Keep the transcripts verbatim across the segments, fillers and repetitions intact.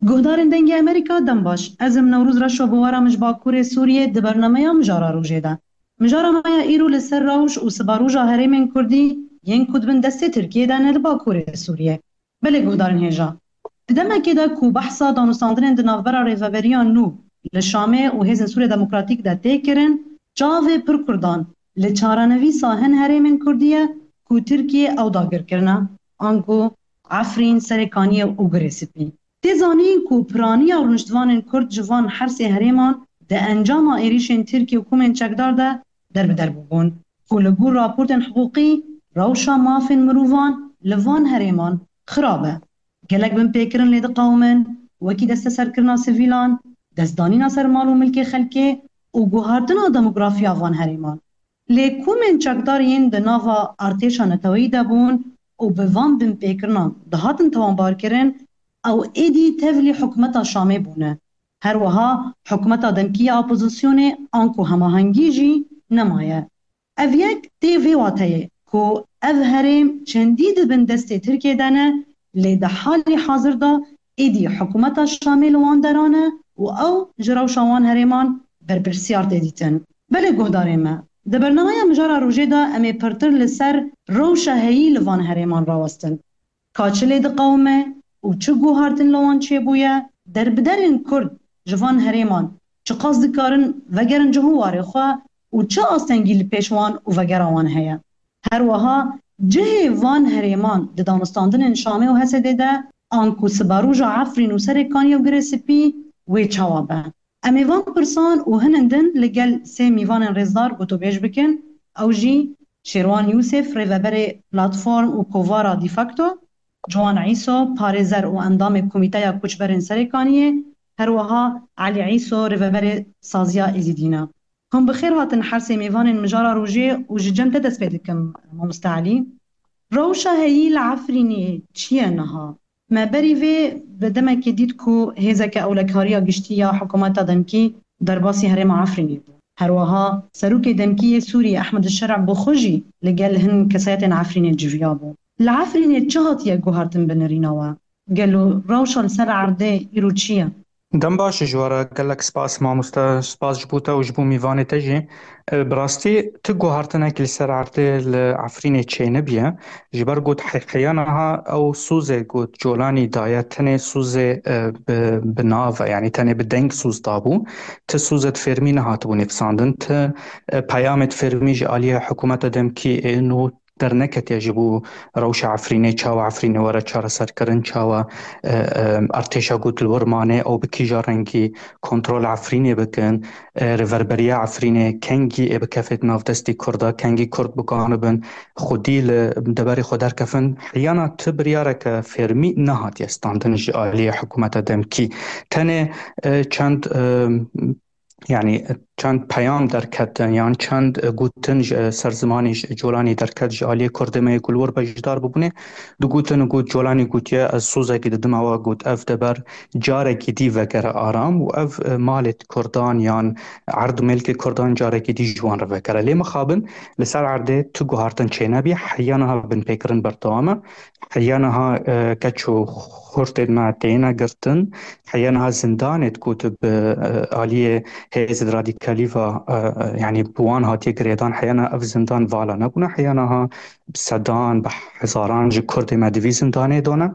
Guhdarên Dengê Amerîka, dem baş. Ez im Newroz Reşo, bi we re min ji Bakurê Sûriyê di bernameya Mijara Rojê de. Mijara me ya îro li ser rewş û siberoja herêmên Kurdî yên ku di bin destê Tirkiyê de ne li Bakurê Sûriyê. Belê guhdarên hêja. Di demekê de ku behsa danûstandinên di navbera rêveberiya nû li Şamê û Hêzên Sûriya Demokratîk de tê kirin, çavê pir Kurdan li çarenivîsa hin herêmên Kurdî ye ku Tirkiye ew dagir kirine, anku Efrîn, Serê Kaniyê û Girê Spî. Tê zanîn ku piraniya rûniştvanên Kurd ji van her sê herêman di encama êrîşên Tirkiye û komên çekdar de derbider bûbûn, ku li gor raportên hiqûqî rewşa mafên mirovan li van herêman xirab e. Gelek binpêkirin lê diqewimin, wekî desteserkirina sivîlan, destdanîna ser mal û milkê xelkê û guhartina demografiya van herêman. Lê komên çekdar yên di nava artêşa neteweyî de bûn û bi van binpêkirinan dihatin tawanbarkirin, ew êdî tevlî hikûmeta Şamê bûne. Her wiha hikûmeta demkî ya opozisyonê anku hemahengî jî nemaye. Ev yek tê vê wateyê ku ev herêm çendî di bin destê Tirkiyê de ne, lê di halî hazir de êdî hikûmeta Şamê li wan deran e û ew ji rewşa wan herêman berpirsiyar tê dîtin. Belê guhdarên me, di bernameya Mijara Rojê de em ê pirtir li ser rewşa heyî li van herêman rawestin. Ka çi lê diqewime û çi guhartin li wan çêbûye, derbiderên Kurd ji van herêman çiqas dikarin vegerin cih û warê xwe û çi astengî li pêş wan û vegera wan heye. Her wiha cihê van herêman di danûstandinên Şamê û H S D'ê de, anku siberoja Efrîn û Serê Kaniyê û Girê Spî wê çawa be? Em ê van pirsan û hinin din li gel sê mîvanên rêzdar gotûbêj bikin. Ew jî Şêrwan Yûsif, rêveberê Platform û Kovara De Facto, Ciwan Îso, parêzer û endamê Komîteya Koçberên Serê Kaniyê, her wiha Elî Îso, rêveberê Saziya Êzidî ne. Hûn bi xêr hatin her sê mêvanên Mijara Rojê û ji cem te dest pê dikim, mamoste Elî. Rewşa heyî li Efrînê çi ye niha? Me berî vê bi demekê dît ku hêzeke ewlekariya giştî ya hikûmeta demkî derbasî herêma Efrînê bû. Her wiha serokê demkî yê Sûriyê Ehmed Şer'a bi xwe jî li gel hin kesayetên Efrînê civiyabû. Li Efrînê çi hatiye guhartin bi nirîna we? Gelo rewşa li ser erdê îro çi ye? Dem baş ji we re, gelek spas mamoste, spas ji bo te û ji bo mîvanê te jî. E, bi rastî tu guhartinek li ser erdê li Efrînê çênebiye. Ji ber got he-, heya niha ew sozê got Colanî daye, tenê sozê, e, bi, bi nav e, yanî tenê bi deng soz dabû. Ti sozê di fermî nehatibû nivîsandin. Ti, e, peyamê di fermî ji aliyê hikûmeta demkî ê nû derneketiye ji bo rewşa Efrînê, çawa Efrînê were çareserkirin, çawa, e, e, artêşa got li wir mane, ew bi kîja rengî kontrol Efrînê bikin, e, rêverberiya Efrînê kengî ê bikefêt nav destî Kurda, kengî Kurd bikanibin xwedî li deverê xwe derkefin. Heyana ti biryareke fermî nehatiye standin ji aliyê hikûmeta demkî. Tenê, e, çend, e, yanî çend peyam derketin yan çend, e, gotin ji, e, ser zimanê ji Colanî derket ji aliyê Kurdê me yê ku li wir beşdar bibûnê. Digotin got, Colanî gotiye, ez sozekî didim ewa got, ev deber carekî dî vegere aram û ev, e, malê Kurdan yan erd û milkê Kurdan carekî dî ji wan re vegere. Lê mixabin li ser erdê tu guhartin çênebiye, heya niha binpêkirin berdewam e. Heya niha, e, keç û xurtên me têne girtin. Heya niha zindanê ku tu bi, e, aliyê hêzên radîkalî ve, e, e, yanî bi wan hatiye girêdan, heya niha ev zindan vala nebûne. Heya niha bi sedan, bi hezaran ji Kurdê me di vî zindanê de ne.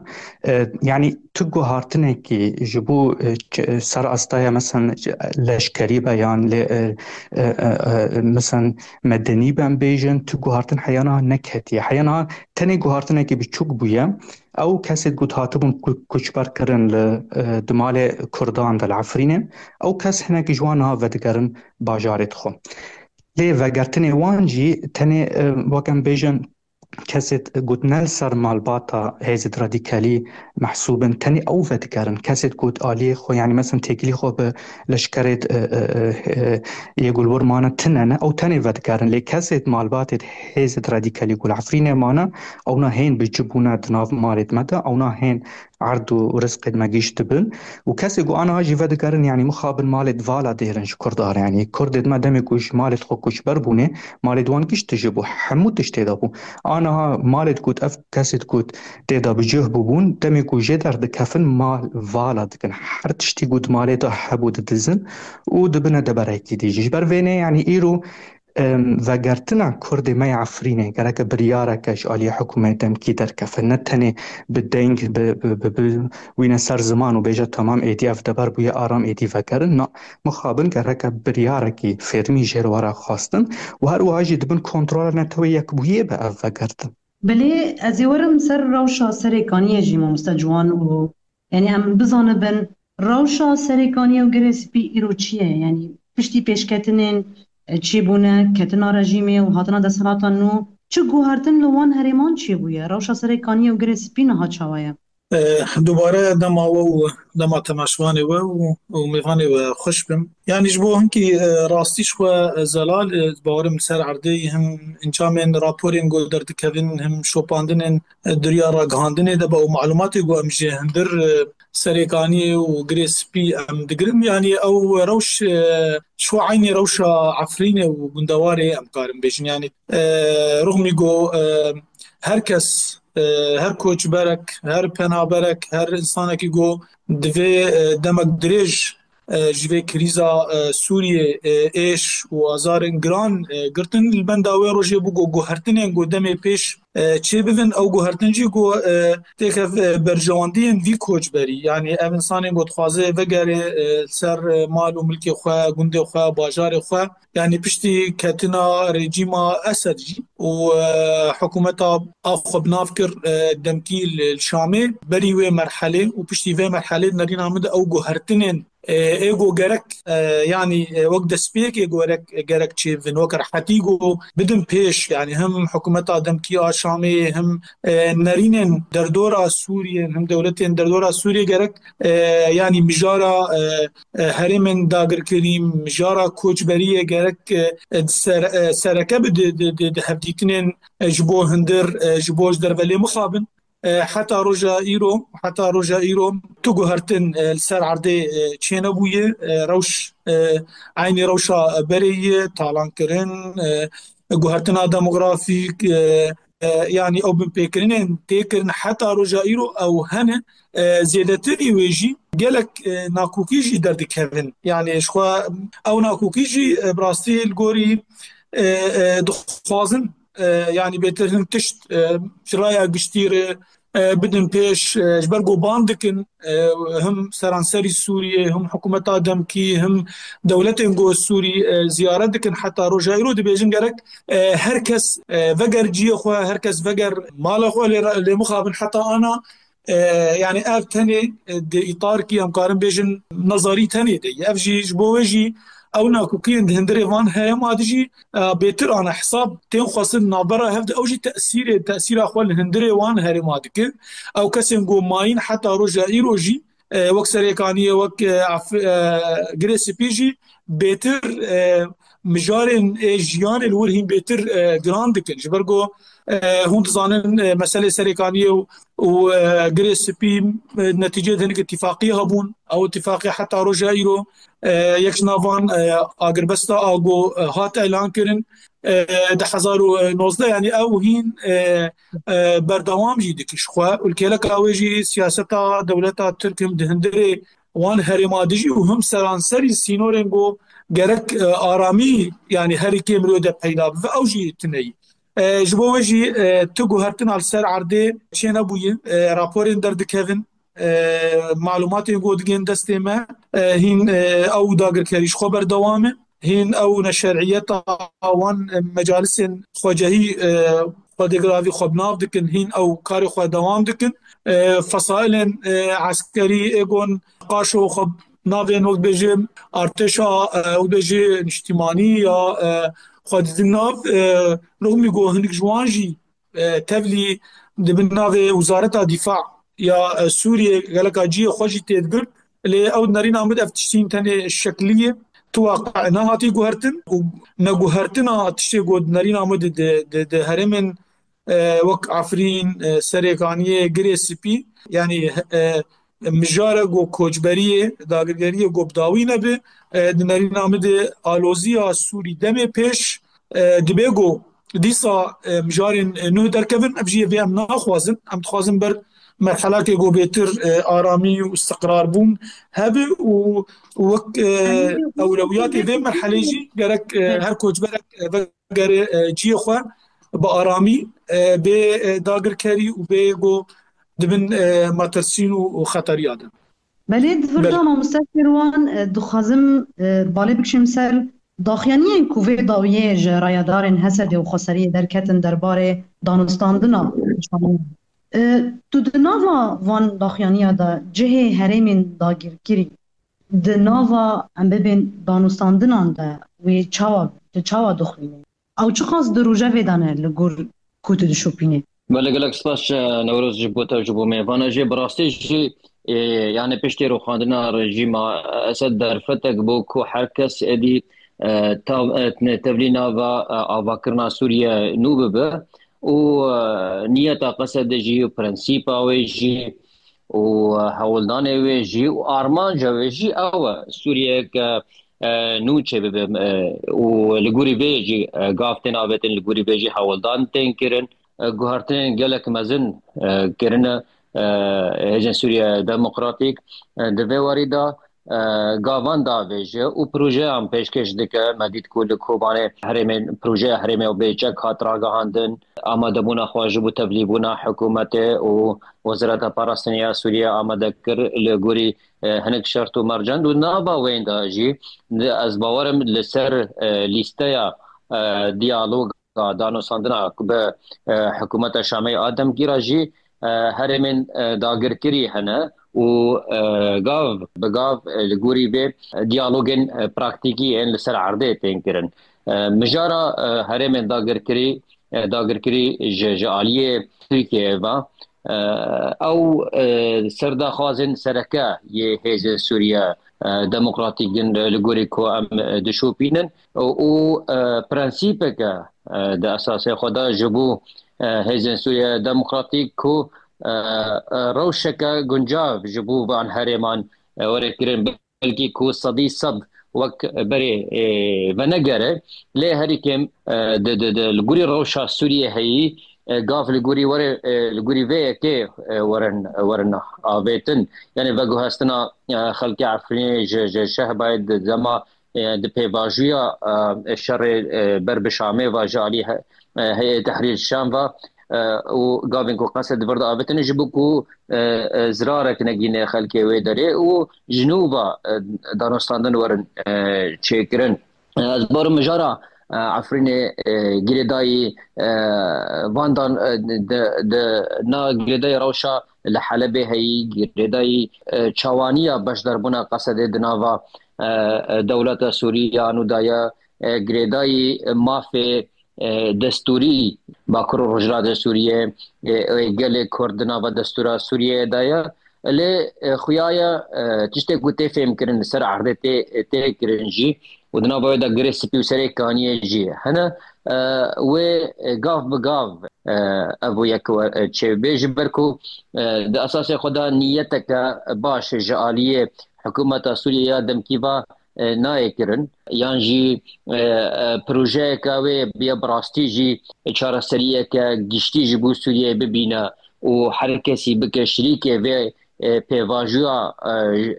E, yanî tu guhartinekî ji bo, e, ç-, ser astaya, mesen, leşkerî be yan lê, e, e, e, e, mesen medenî be, em bêjin, tu guhartin heya niha neketiye. Heya niha tenê guhartinekî biçûk bûye. Ew kesê ku hatibûn ku-, koçber kirin li, e, di malê Kurdan de li Efrînê, ew kes hinekî ji wan niha vedigerin bajarê xwe. Lê vegertinê wan jî tenê, e, wek em bêjin, kesê ku ne li ser malbata hêzên radîkalî mehsûb in, tenê ew vedigerin. Kesê ku aliyê xwe, yanî, mesen têkilî xwe bi leşkerê, e, e, e, e, yê ku li wir mane tune ne, ew tenê vedigerin. Lê kesê malbatê hêzên radîkalî ku li Efrînê mane, ewna hên bi ci bûne di nav malê me de, ewna hên erd û rizqê me gişt dibin. Û kesê ku aniha jî vedigerin, yanî mixabin malê di vala dêrin ji Kurd re. Yanî Kurdê me demê ku ji malê xwe koçber bûne, malê di wan gişt dijî bû. Hemû tişt tê de bû. Aniha malê ku ev kesê ku tê de bi cih bûbûn, demê ku jê derdikevin mal vala dikin. Her tiştî ku di malê de hebû didizin û dibine deberekî dî jî. Ji ber vê ne, yanî îro Em, vegertina Kurdê me ya Efrînê gereke biryareke ji aliyê hikûmetê demkî derkeve. Ne tenê bi deng, bi, bi, bi, bi wîne ser ziman û bêje, temam, êdî ev deber bûye aram, êdî vegerin. Na, mixabin gereke biryarekî fermî jê re were xwestin û her wiha jî di bin kontrola Netewê Yekbûyiyê be ev vegertin. Belê, ez ê werim ser rewşa Serêkaniyê jî, mamoste Ciwan, û, yanî, em bizanibin rewşa Serêkaniyê û Girê Spî îro çi ye? Yanî, piştî pêşketinên, e, çêbûne, ketina rejîmê û hatina desthilata nû, çi guhertin li wan herêman çêbûye? Rewşa Serêkaniyê û Girê Spî niha çawa ye? E, dubare dema we û dema temaşevanê we û, û mêvanê we xweş bin. Yanî ji bo hinkî, e, rastî ji xwe, e, zelal, e, bawerim li ser erdê him encamên raporên ku derdikevin, him şopandinên, e, duriya ragihandinê de be û malumatê ku em ji hundir, e, Serêkaniyê û Girê Spî em digirin. Yanî ew rewş, e, ji xwe eynî rewşa Efrînê û gundewarê em karin bêjin. Yanî, e, rixmî ku, e, her kes, e, her koçberek, her penaberek, her insanekî ku divê, e, demek dirêj e, ji vê krîza, e, Sûriyê, e, êş û azarên giran, e, girtin. Li benda wê rojê bû ku guhertinên ku demê pêş, e, çêbibin, ew guhertin jî ku, e, têkev, e, berjewendiyên vî koçberî, yanî ev insanên ku dixwaze vegere, e, ser, e, mal û milkê xwe, gundê xwe, bajarê xwe, yanî piştî ketina rejîma Esed jî û, e, hikûmeta a xwe bi nav kir, e, demkî li, li Şamê, berî wê merhelê û piştî vê merhelê nerîna min de ew guhertinên e, ê ku gerek, e, yanî, e, wek destpêkê ku gerek, gerek çêbin, wek rehetî ku bidin pêş, yanî him hikûmeta demkî a Şamê, him, e, nerînên derdora Sûriyê, him dewletên derdora Sûriyê gerek, e, yanî mijara, e, e, herêmên dagirkirî, mijara koçberiyê gerek, e, e, di ser, e, sereke bi di, di, di, di hevdîtinên, e, ji bo hundir, e, ji bo ji derve lê mixabin. E, heta roja îro, heta roja îro tu guhertin, e, li ser erdê, e, çênebûye, e, rewş, e, eynî rewşa berê ye, talankirin, e, guhertina demografîk, e, e, yanî ew binpêkirinên tê kirin heta roja îro ew hene, e, zêdetirî wê jî gelek, e, nakokî jî derdikevin. Yanî ji xwe ew nakokî jî, e, bi rastî li gorî, e, e, dixwazin e, yanî bêtir hin tişt, e, ji raya giştî re, e, bidin pêş, e, ji ber ku ban dikin, e, him seranserî Sûriyê, him hikûmeta demkî, him dewletên ku Sûrî, e, ziyaret dikin, heta roja îro dibêjin gerek, e, her kes, e, veger ciyê xwe, her kes veger mala xwe, lê, lê mixabin heta ana e, yanî ev tenê, e, di îtarkî em karin bêjin nezarî tenê de ye. Ev jî ji bo wê jî ew nakokiyên di hundirê van herêma de jî, e, bêtir ana hesab tên xwestin navbera hev de ew jî tesîrê, tesîra xwe li hundirê wan herêma dikin. Ew kesên ku mayîn heta roja îro jî, e, wek Serêkaniyê, wek, e, Af-, e, Girê Spî jî bêtir, e, mijarên, e, jiyanê li wir hîn bêtir, e, giran dikin. Ji ber ku, e, hûn dizanin, e, meselê Serêkaniyê û, û, e, Girê Spî, e, netîcê di hinek îtifaqiyê hebûn. Ew îtifaqê heta roja îro, e, yek ji navan, e, agirbesta a ku, e, hat elan kirin, e, di hezar û nozdeh, yanî ew hîn, e, e, berdewam jî dike ji xwe û li kêleka wê jî siyaseta dewleta Tirk him di hundirê wan herêma dijî û him seranserî sînorên ku gerek, e, aramî, yanî herî kêm rê de peyda bibe, ew jî tune ye. E, ji bo wê jî, e, tu guhertina li ser erdê çênebûye, e, raporên derdikevin, e, malumatên ku digên destê me, e, hîn, e, ew dagirkerî ji xwe berdewam e. Hîn ew neşeriyeta wan, e, mecalisên xwecehî, e, xwedêgiravî xwe bi nav dikin, hîn ew karê xwe dewam dikin. E, fesailên, e, eskerî ê gon qaşo xwe navên wek bêjim artêşa, e, wek bêjî niştimanî ya, e, xwe didin nav, e, rixmî ku hinek ji wan jî, e, tevlî di bin navê Wizareta Dîfa ya, e, Sûriyê geleka cihê xwe jî têdigirt. Lê ew nerîna min ev tiştîn tenê şeklî ye. Tu waqe nehatî guhertin û neguhertina tiştê ku nerîna min di, di, di, di herêmên e, wek Efrîn, e, Serêkaniyê, Girê Spî, yanî, e, mijare ku koçberiyê, dagirkeriyê ku bi dawî nebe, e, di nerîna min de aloziya Sûrî demê pêş, e, dibe ku dîsa, e, mijarên, e, nû derkevin, ev jî yê vê em naxwazin. Em dixwazin ber merhelekê ku bêtir, e, aramî û istiqrar bûn hebe û wek, e, ewlewiyatê vê merhelê jî gerek, e, her koçberek, e, vegere, e, cihê xwe bi aramî, e, bê, e, dagirkerî û bê ku dibin, e, metirsîn û, û xeteriya de. Belê, di vir de mamoste Şêrwan, e, dixwazim, e, balê bikişim ser daxuyaniyên ku vê dawiyê ji rayedarên H S D û Xweseriyê derketin derbarê danûstandina. E, tu di nava van daxuyaniya de cihê herêmên dagirkirî di nava, em bibên, danûstandinan de wê çawa, tu çawa dixwînî? Ew çiqas di rojevê de ne li gor ku tu dişopînî? Belê, gelek spas, e, Newroz, ji bo te, ji bo mêvana jî. Bi rastî jî, e, yani piştî rûxandina rejîma Esed derfetek bû ku her kes êdî, e, tav-, e, tevlî nava, e, avakirina Sûriye nû bibe û, e, niyeta Qesedê jî û prensîpa wê jî û, e, hewldanê wê jî û armanca wê jî ew e, Sûriyeyeke, e, nû çêbibe, e, û li gorî vê jî, e, gav tên avêtin, li gorî vê jî hewldan tên kirin. E, guhertinên gelek mezin, e, kirine, e, Hêzên Sûriye Demokratîk, e, di vê warî de, e, gavan davêje û projeyan pêşkêş dike. Me dît ku li Kobanê herêmên, projeya herêmê Bêçek hat ragihandin. Amadebûna xwe ji bo tevlîbûna hikûmetê û Wezareta Parastinê ya Sûriye amade kir li gorî, e, hinek şert û mercan. Û nava wên de jî, ez bawer im li ser, e, lîsteya, e, diyaloga danûstandina ku bi, e, hikûmeta Şamê a demkî re jî, e, herêmên, e, dagirkirî hene û, e, gav bi gav, e, li gorî vê diyalogên, e, praktîkî ên li ser erdê tên kirin. E, mijara, e, herêmên dagirkirî, e, dagirkirî ji, ji aliyê Tirkiyeyê ve, e, ew, e, serdaxwazên sereke yê Hêzên Sûriye, e, Demokratîk in, e, li gorî ku em, e, dişopînin û, û, e, prensîpeke, e, di esasê xwe de ji bo, e, Hêzên Sûriye Demokratîk ku, e, e, rewşeke guncav ji bo van herêman, e, were kirin. Belkî ku sedî sed wek berê, e, venegere, lê herî kêm, e, di, di, di, li gorî rewşa Sûriyê heyî, e, gav li gorî were, e, li gorî vê yekê, e, werin, werin avêtin. Yanî veguhestina, e, xelkê Efrînê ji, ji Şehbayê di dema, e, di pêvajoya, e, şerê, e, ber bi Şamê ve ji alî he-, e, Heyê Tehrîr Şam ve, e, û gavên ku Qesed di vir de avêtin ji bo ku, e, e, zirarek negîne xelkê wê derê û ji nû ve, e, danûstandin werin, e, çêkirin. E, ez barim mijara, e, Efrînê, e, girêdayî, e, van dan, e, di, di, na girêdayî rewşa li Helebê heyî, girêdayî, e, çawaniya beşdarbûna Qesedê di nava, e, e, dewleta Sûrî ya nû de ye, e, girêdayî mafê, e, destûrî Bakur û Rojhilatê Sûriyê, e, e, gelê Kurd di nava destûra Sûriyeyê de ye. Lê, e, xuya ye, e, tiştê ku tê fêmkirin, li ser erdê tê, tê kirin jî û di nava wê de Girê Spî û Serê Kaniyê jî hene, e, wê, e, gav bi gav, e, ev û yek we-, e, çêbê, ji ber ku, e, di esasê xwe de niyeteke baş ji aliyê hikûmeta Sûriyê ya demkî ve, e, nayê kirin, yan jî, e, e, projeyeke wê bûye bi rastî jî çareseriyeke giştî ji bo Sûriyeyê bibîne û her kesî bike şirîkê vê, e, pêvajoya,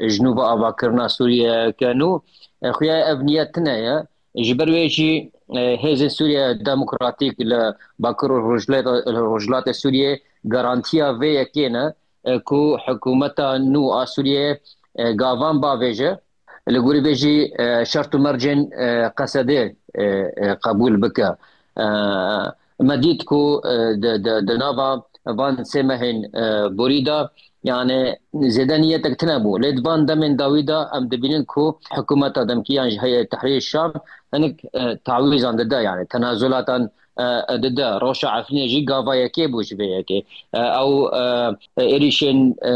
e, ji nû ve avakirina Sûriyeyeke nû, e, xuya ev niyet tune ye. Ji ber wê jî, e, Hêzên Sûriye Demokratîk li Bakur û Rojhilat-, Rojhilatê Sûriyê garantiya vê yekê ne, e, ku hikûmeta nû a Sûriyeyê, e, gavan bavêje. Li gorî vê jî, e, şert û mercên, e, Qesedê, e, e, qebûl bike. E, me dît ku, e, di, di, di nava van sê mehên, e, borî de, yani, zêde niyetek tune bû. Lê di van demên dawî de em dibînin ku hikûmeta demkî yan jî Heyet Tehrîr Şam hinek, e, tawîzan dide, yani, tenazulatan, e, dide. Rewşa Efrînê jî gava yekê bû ji vê yekê. E, ew, e, êrîşên, e,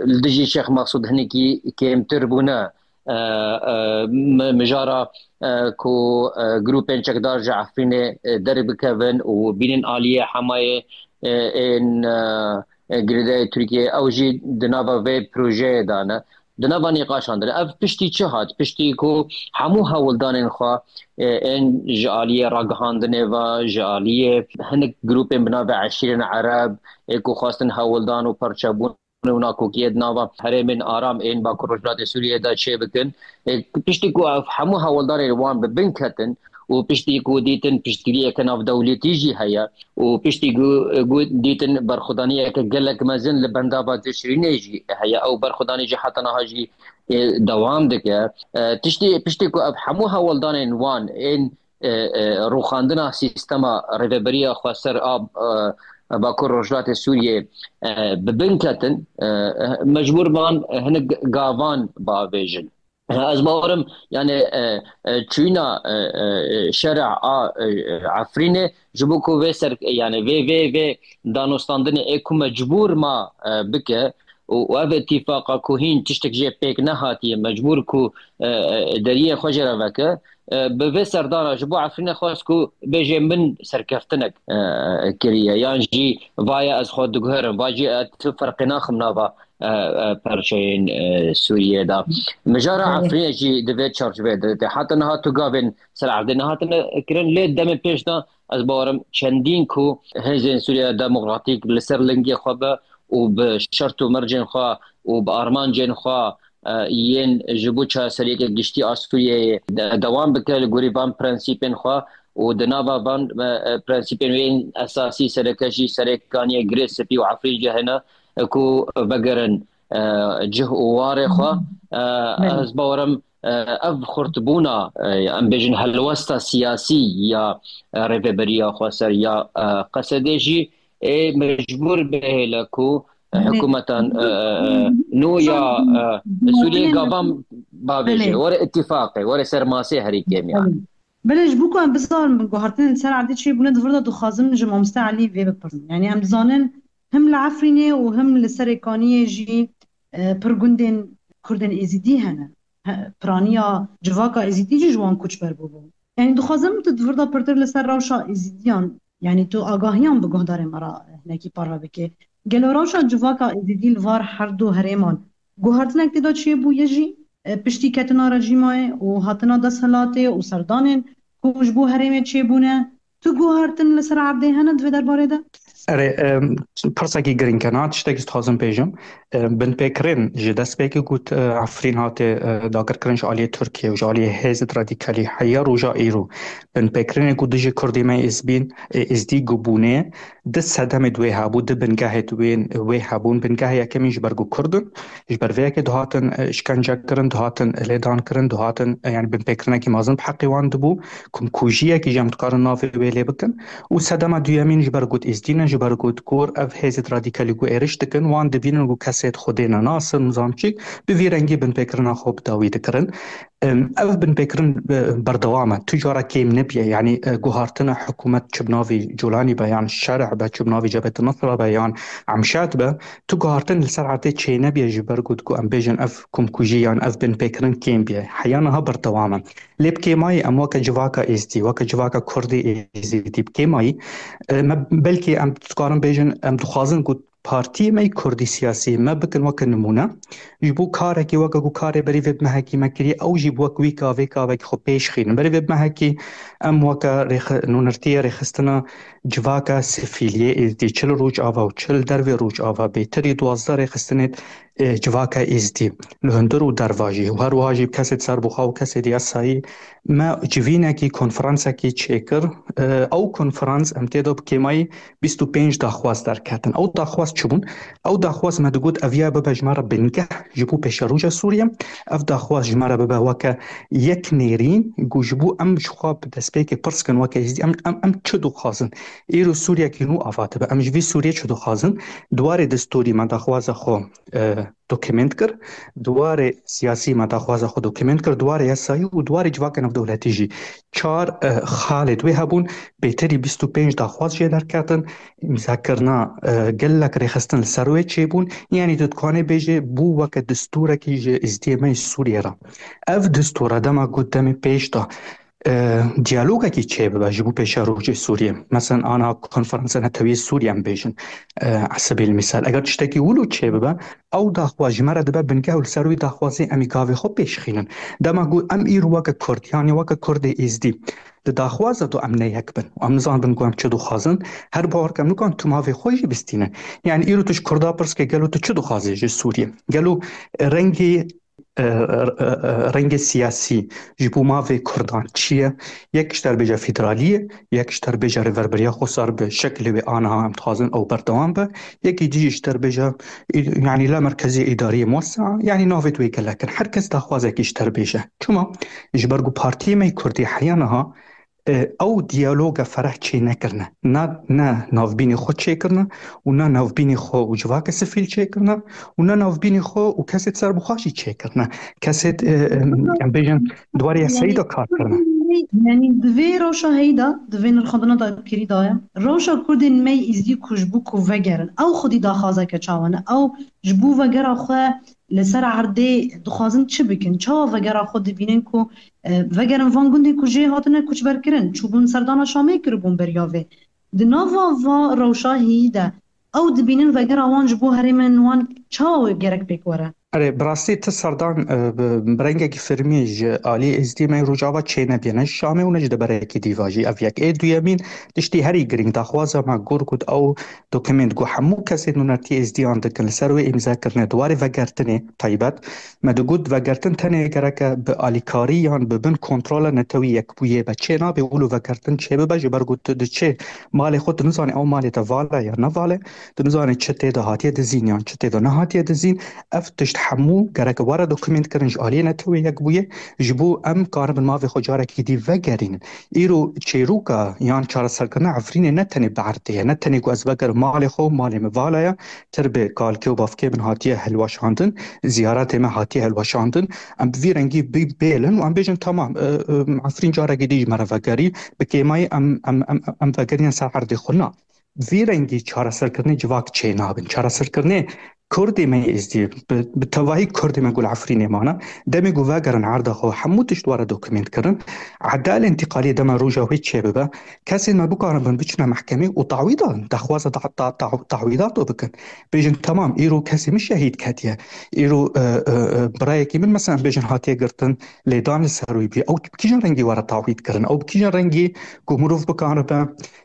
li dijî Şêx Mexsûd hinekî kêmtir bûne. e, e, mi-, mijara, e, ku, e, grûpên çekdar ji Efrînê, e, derbikevin û bînin aliyê Hemayê, e, ên, e, e, girêdayî Tirkiyê, ew jî di nava vê projeyê de ne. Di nava nîqaşan de ne. Ev piştî çi hat? Piştî ku hemû hewldanên xwe, e, ên ji aliyê ragihandinê ve, ji aliyê hinek grûpên bi navê eşîrên Ereb, ê ku xwestin hewldan û parçebûn û nakokiyê di nava herêmên aram ên Bakur Rojhilatê Sûriyê de çêbikin. Ê, piştî ku ev hemû hewldanên wan bi bin ketin û piştî ku dîtin piştgiriyeke navdewletî jî heye û piştî ku, ku dîtin berxwedaniyeke gelek mezin li bendava Tişrînê jî heye, ew berxwedanî jî heta niha jî, ê, dewam dike. E, tiştî, piştî ku ev hemû hewldanên wan ên e, e, rûxandina sîstema rêveberiya xweser a, e, Bakur Rojhilatê Sûriyê, e, bi bin ketin, e, mecbûr ban hinek gavan bavêjin. Ez bawerim, yani, e, e, çûyîna, e, e, şerê a, e, Efrînê ji bo ku vê ser, yani vê, vê, vê danûstandinê ê ku mecbûr ma, e, bike, û, û ev îtîfaqa ku hîn tiştek jê pêk nehatiye, mecbûr ku, e, e, deriyê xwe jê re veke, e, bi vê serdana ji bo Efrînê xwest ku bêje min serkeftinek, e, kiriye, yan jî vaye ez xwe diguherim, va jî ez tu ferqê naxim nava, e, e, perçeyên, e, Sûriyê de. Mijara Belê. Efrînê jî di vê çarçoveyê de tê. Heta niha tu gavên ser erdê nehatine kirin, lê demê pêş de ez bawerim çendîn ku hêzên Sûriya Demokratîk li ser lingê xwe be û bi şert û mercên xwe û bi armancên xwe, e, yên ji bo çareseriyeke giştî a Sûriyeyê de-, dewam bike li gorî van prensîpên xwe û di nava van, e, e, prensîpên wê yên esasî sereke jî serêkaniya Girê Spî û Efrîn jî hene, e, ku vegerin, e, cih û warê xwe. E, Belê. Ez bawerim, e, ev xurtbûna, e, em bêjin helwesta siyasî ya, e, rêveberiya xweser ya, e, Qesedê jî ê mecbûr bihêle ku, e, Belê. Hikûmetan, e, e, e, nû ya, e, Sûriyê gavan bavêje, Belê. Were îtîfaqê, were ser masê herî kêm ya. Belê. Belê, ji bo ku em bizanin guhartinên ser erdê çêbûne, di vir de dixwazim ji mamoste Elî vê bipirsim. Yani em dizanin him li Efrînê û him li Serêkaniyê jî, e, pir gundên Kurdên Êzidî hene. He, piraniya civaka Êzidî jî ji wan koçber bûbû. Yani dixwazim tu di vir de pirtir li ser rewşa Êzidiyan, yani tu agahiyan bi guhdarên me re hinekî parve bike. Gelo rewşa civaka Êzidî li var her du herêman guhartinek tê de çêbûye jî, e, piştî ketina rejîmayê û hatina desthilatê û serdanên ku ji bo herêmê çêbûne, tu guhartin li ser erdê hene di vê derbarê de? Erê, em, pirsekî girîng e, niha tiştekî dixwazim bêjim. E, binpêkirin ji destpêkê ku, e, Efrîn hate, e, dagirkirin ji aliyê Tirkiye û ji aliyê hêzên radîkalî heya roja îro. Binpêkirinê ku dijî Kurdê me Êzbîn, e, Êzdî ku bûne, di sedemê di wê hebû, di bingehê di wê, wê hebûn. Bingehê yekemîn ji ber ku Kurd in, ji ber vê yekê dihatin, e, îşkence kirin, dihatin lêdan kirin, dihatin, e, yani binpêkirinekî mezin bi heqê wan dibû. Komkujiyekî jî em dikarin navê wê lê bikin. Û sedema duyemîn ji ber ku Êzdî ne, ji ber ku gor ev hêzên radîkalî ku êrîş dikin, wan dibînin ku kesê Xwedê ne, nasin û zam çi, bi vî rengî binpêkirina xwe bi dawî dikirin. Em, ev binpêkirin, e, berdewam e. Tu cara kêm nebiye. Yani, e, guhartina hikûmet çi bi navê Colanî be, yan Şerh be, çi bi navê Cebhet Nusra be, yan Emşad be, tu guhartin li ser erdê çê nebiye ji ber ku, ku em bêjin ev komkujî yan ev binpêkirin kêm biye. Heya niha berdewam e. Lê bi kêmayî em weke civaka Êzdî, weke civaka Kurdê Êzidî bi kêmayî, e, me, belkî em dikarin bêjin, em dixwazin ku partiyê me yê Kurdî siyasî me bikin weke nimûne. Ji bo karekî weke ku karê berî vê bi mehekî me kiriye, ew jî bi wek wî kavê kavekî xwe pêş xînin. Berî vê bi mehekî em weke rêxi-, nûnertiyê rêxistina civaka sivîliyê Êzdî, çi li Rojava û çi li dervê Rojava, bêtirî duwazdeh rêxistinê, e, civaka Êzdî, li hundir û derva jî, û her wiha jî kesê serbixwe û kesê diyasayî, me civînekî, konferansekî çêkir. E, ew konferans em tê de bi kêmayî bîst û pênc daxwaz derketin. Ew daxwaz çi bûn? Ew daxwaz me digot, ev ya bibe ji me re bingeh ji bo pêşeroja Sûriye. Ev daxwaz ji me re bibe weke yek nêrîn, ku ji bo em ji xwe bi destpêkê pirs kin weke Êzdî, em, em, em çi dixwazin? Îro Sûriyekî nû ava dibe. Em ji vî Sûriyê çi dixwazin? Di warê destûrî me daxwaza xwe, e, dokument kir, di warê siyasî me daxwaza xwe dokument kir, di warê yasayî û di warê civaka navdewletî jî. Çar, e, xalê di wê hebûn, bêtirî bîst û pênc daxwaz jê derketin, îmzakirina, e, gelek rêxistin li ser wê çêbûn, yanî tu dikanê bêjê bû weke distûrekî ji êzdiyê me yê Sûriyê re. Ev distûr e dema ku demê pêş de, e, diyalogekî çêbibe ji bo pêşerojê Sûriyê. Mesela ana konferansa netewî Sûriyê em bêjin, e, esebî li misal. Eger tiştekî wilo çêbibe, ew daxwaz ji me re dibe bingeh û li ser wî daxwazê em ê gavê xwe pêşxînin. Dema ku em îro weke Kurd, yanî weke Kurdê Êzdî, di daxwaza do em ne yek bin. Em nizanibin ku em çi dixwazin. Her bawer ke em nikan tu mavê xwe jî bistînin. Yanî îro tu ji Kurda pirs ke gelo tu çi dixwazî ji Sûriyê? Gelo rengê, e, e, e, rengê siyasî ji bo mavê Kurdan çi ye? Yek ji te re bêje federalî ye, yek ji te re bêje rêverberiya xwesar bi şekilê wê aniha em dixwazin ew berdewam be, yekî dî ji te re bêje, yanî la merkezê îdariyê muwesea, yanî navê wê gelek in. Her kes daxwazekî ji te re bêje. Çima? Ji ber ku partiyê me yê Kurdî heya niha, e, ew diyaloga fereh çê nekirine. Na, ne navbînê xwe çêkirine û ne navbînê xwe û civaka sivîl çêkirine û ne navbînê xwe û kesê serbixwe jî çêkirine. Kesê, e, e, em bêjin, di warê yasayî de kar kirine. Yanî di vê rewşa heyî de, di vê nirxandina dagirkêrî de ye. Rewşa Kurdên me yê Êzdî ku ji bo ku vegerin, ew xwedî daxwazeke çawa ne? Ew ji bo vegera xwe li ser erdê dixwazin çi bikin? Çawa vegera xwe dibînin ku, e, vegerin van gundê ku jê hatine koçberkirin, çûbûn serdana Şamê kiribûn beriya vê? Di nava va rewşa heyî de ew dibînin vegera wan ji bo herêmên wan çawa gerek pêk were? Erê, bi rastî ti serdan, e, bi, bi rengekî fermî ji alî Êzdî me yê Rojava çênebîye, ne ji Şamê û ne ji deberekî dî ve jî. Ev yek. Ê duyemîn, tiştî herî girîng, daxwaza me gur ku ew dokument ku hemû kesên nûnertiyê Êzdiyan dikin, li ser wê îmze kirine, di warê vegertinê taybet, me digot vegertin tenê gereke bi alîkarî yan bi bin kontrola netewî yekbûyê be. Çê nabe wilo vegertin çêbibe, ji ber ku tu diçê malê xwe, tu nizanî ew malê te vala ya ne vala, tu nizanî çi tê de hatiye dizîn yan çi tê de nehatiye dizîn. Ev tişt hemû gereke were dokument kirin ji aliyê netewê yekbûyê, ji bo em karibin mavê xwe carekî dî vegerînin. Îro çêroka yan çareserkirina Efrînê ne tenê bi erdê ye, ne tenê ku ez vegerim malê xwe, malê min vala ye, tir bi kalkê û bavkê min hatiye hilweşandin, ziyaretê me hatiye hilweşandin. Em bi vî rengî bê-, bêlin û em bêjin, tamam, e, e, Efrîn carekî dî ji me re vegerî, bi kêmayî em, em, em, em vegerîne ser erdê xwe. Na. Vî rengî çareserkirinê civak çênabin. Çareserkirinê Kurdê me yê Êzdî, bi, bi tevahî Kurdê me ku li Efrînê mane, demê ku vegerin erda xwe, hemû tişt were dokument kirin. Edal întîqaliyê dema roja wê çêbibe, kesên me bikaribin biçine mehkemê û dawî dan, daxwaza da-, da-, da-, dawî dato bikin. Bêjin, tamam, îro kesê min şehîd ketiye. Îro, e, e, e, birayekî min, mesela, bêjin hatiye girtin, lêdan li ser wî bûye. Ew bi kîjan rengî were tawît kirin? Ew bi kîjan rengî ku mirov bikaribe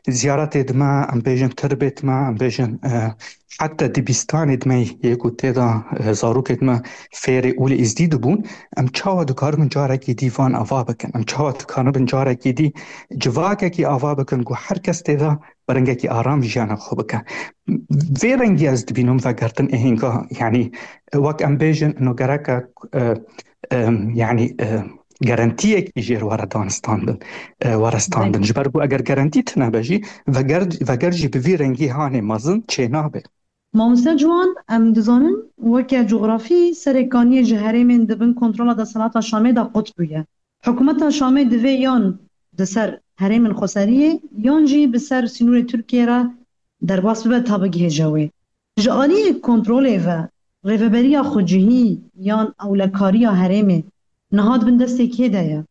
ziyaretê dime, em bêjin tirbê dime, em bêjin, e, heta dibistanê dime yê ku tê de, e, zarokê dime fêrê û li Êzdî dibûn, em çawa dikaribin carekî dî van ava bikin? Em çawa dikaribin carekî dî civakekî ava bikin ku her kes tê de bi rengekî aram jiyana xwe bike? Vê rengî ez dibînim vegertin ê hênga, yanî, e, wek em bêjin, ino gereke, e, e, yanî, e, garantiyekî jêr were danistandin, e, were standin. Ji ber ku eger garantî tune be jî, veger, veger jî bi vî rengî hanê mezin çênabe. Mamoste Ciwan, em dizanin weke cografî Serêkaniyê ji herêmên di bin kontrola desthilata Şamê de qut bûye. Hikûmeta Şamê divê yan di ser herêmên xweseriyê yan jî bi ser sînorê Tirkiyê re derbas bibe ta bigihêje wê. Ji aliyê kontrolê ve rêveberiya xwecihî yan ewlekariya herêmê niha di bin destê kê de ye?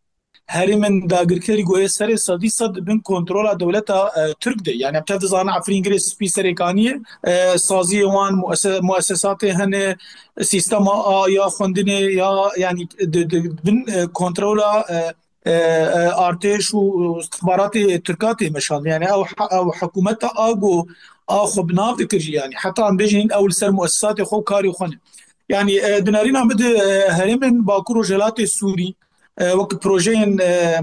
Herêmên dagirkerî ku yê serê sedî sed di bin kontrola dewleta, e, Tirk de. Yanî em tev dizanin Efrîn, Girê Spî, Serêkaniyê, e, saziyê wan, muese-, muesesatê hene, sîstema a ya xwendinê ya, yanî di, di bin, e, kontrola, e, e, e, artêş û istixbaratê Tirka tê meşandin. Yanî ew he-, ew hikûmeta a ku a xwe bi nav dikir jî, yanî heta em bêjin ew li ser muesesatê xwe û karê xwe ne. Yanî, e, di nerîna min de, e, herêmên Bakur Rojhilatê Sûrî, e, wek projeyên, e,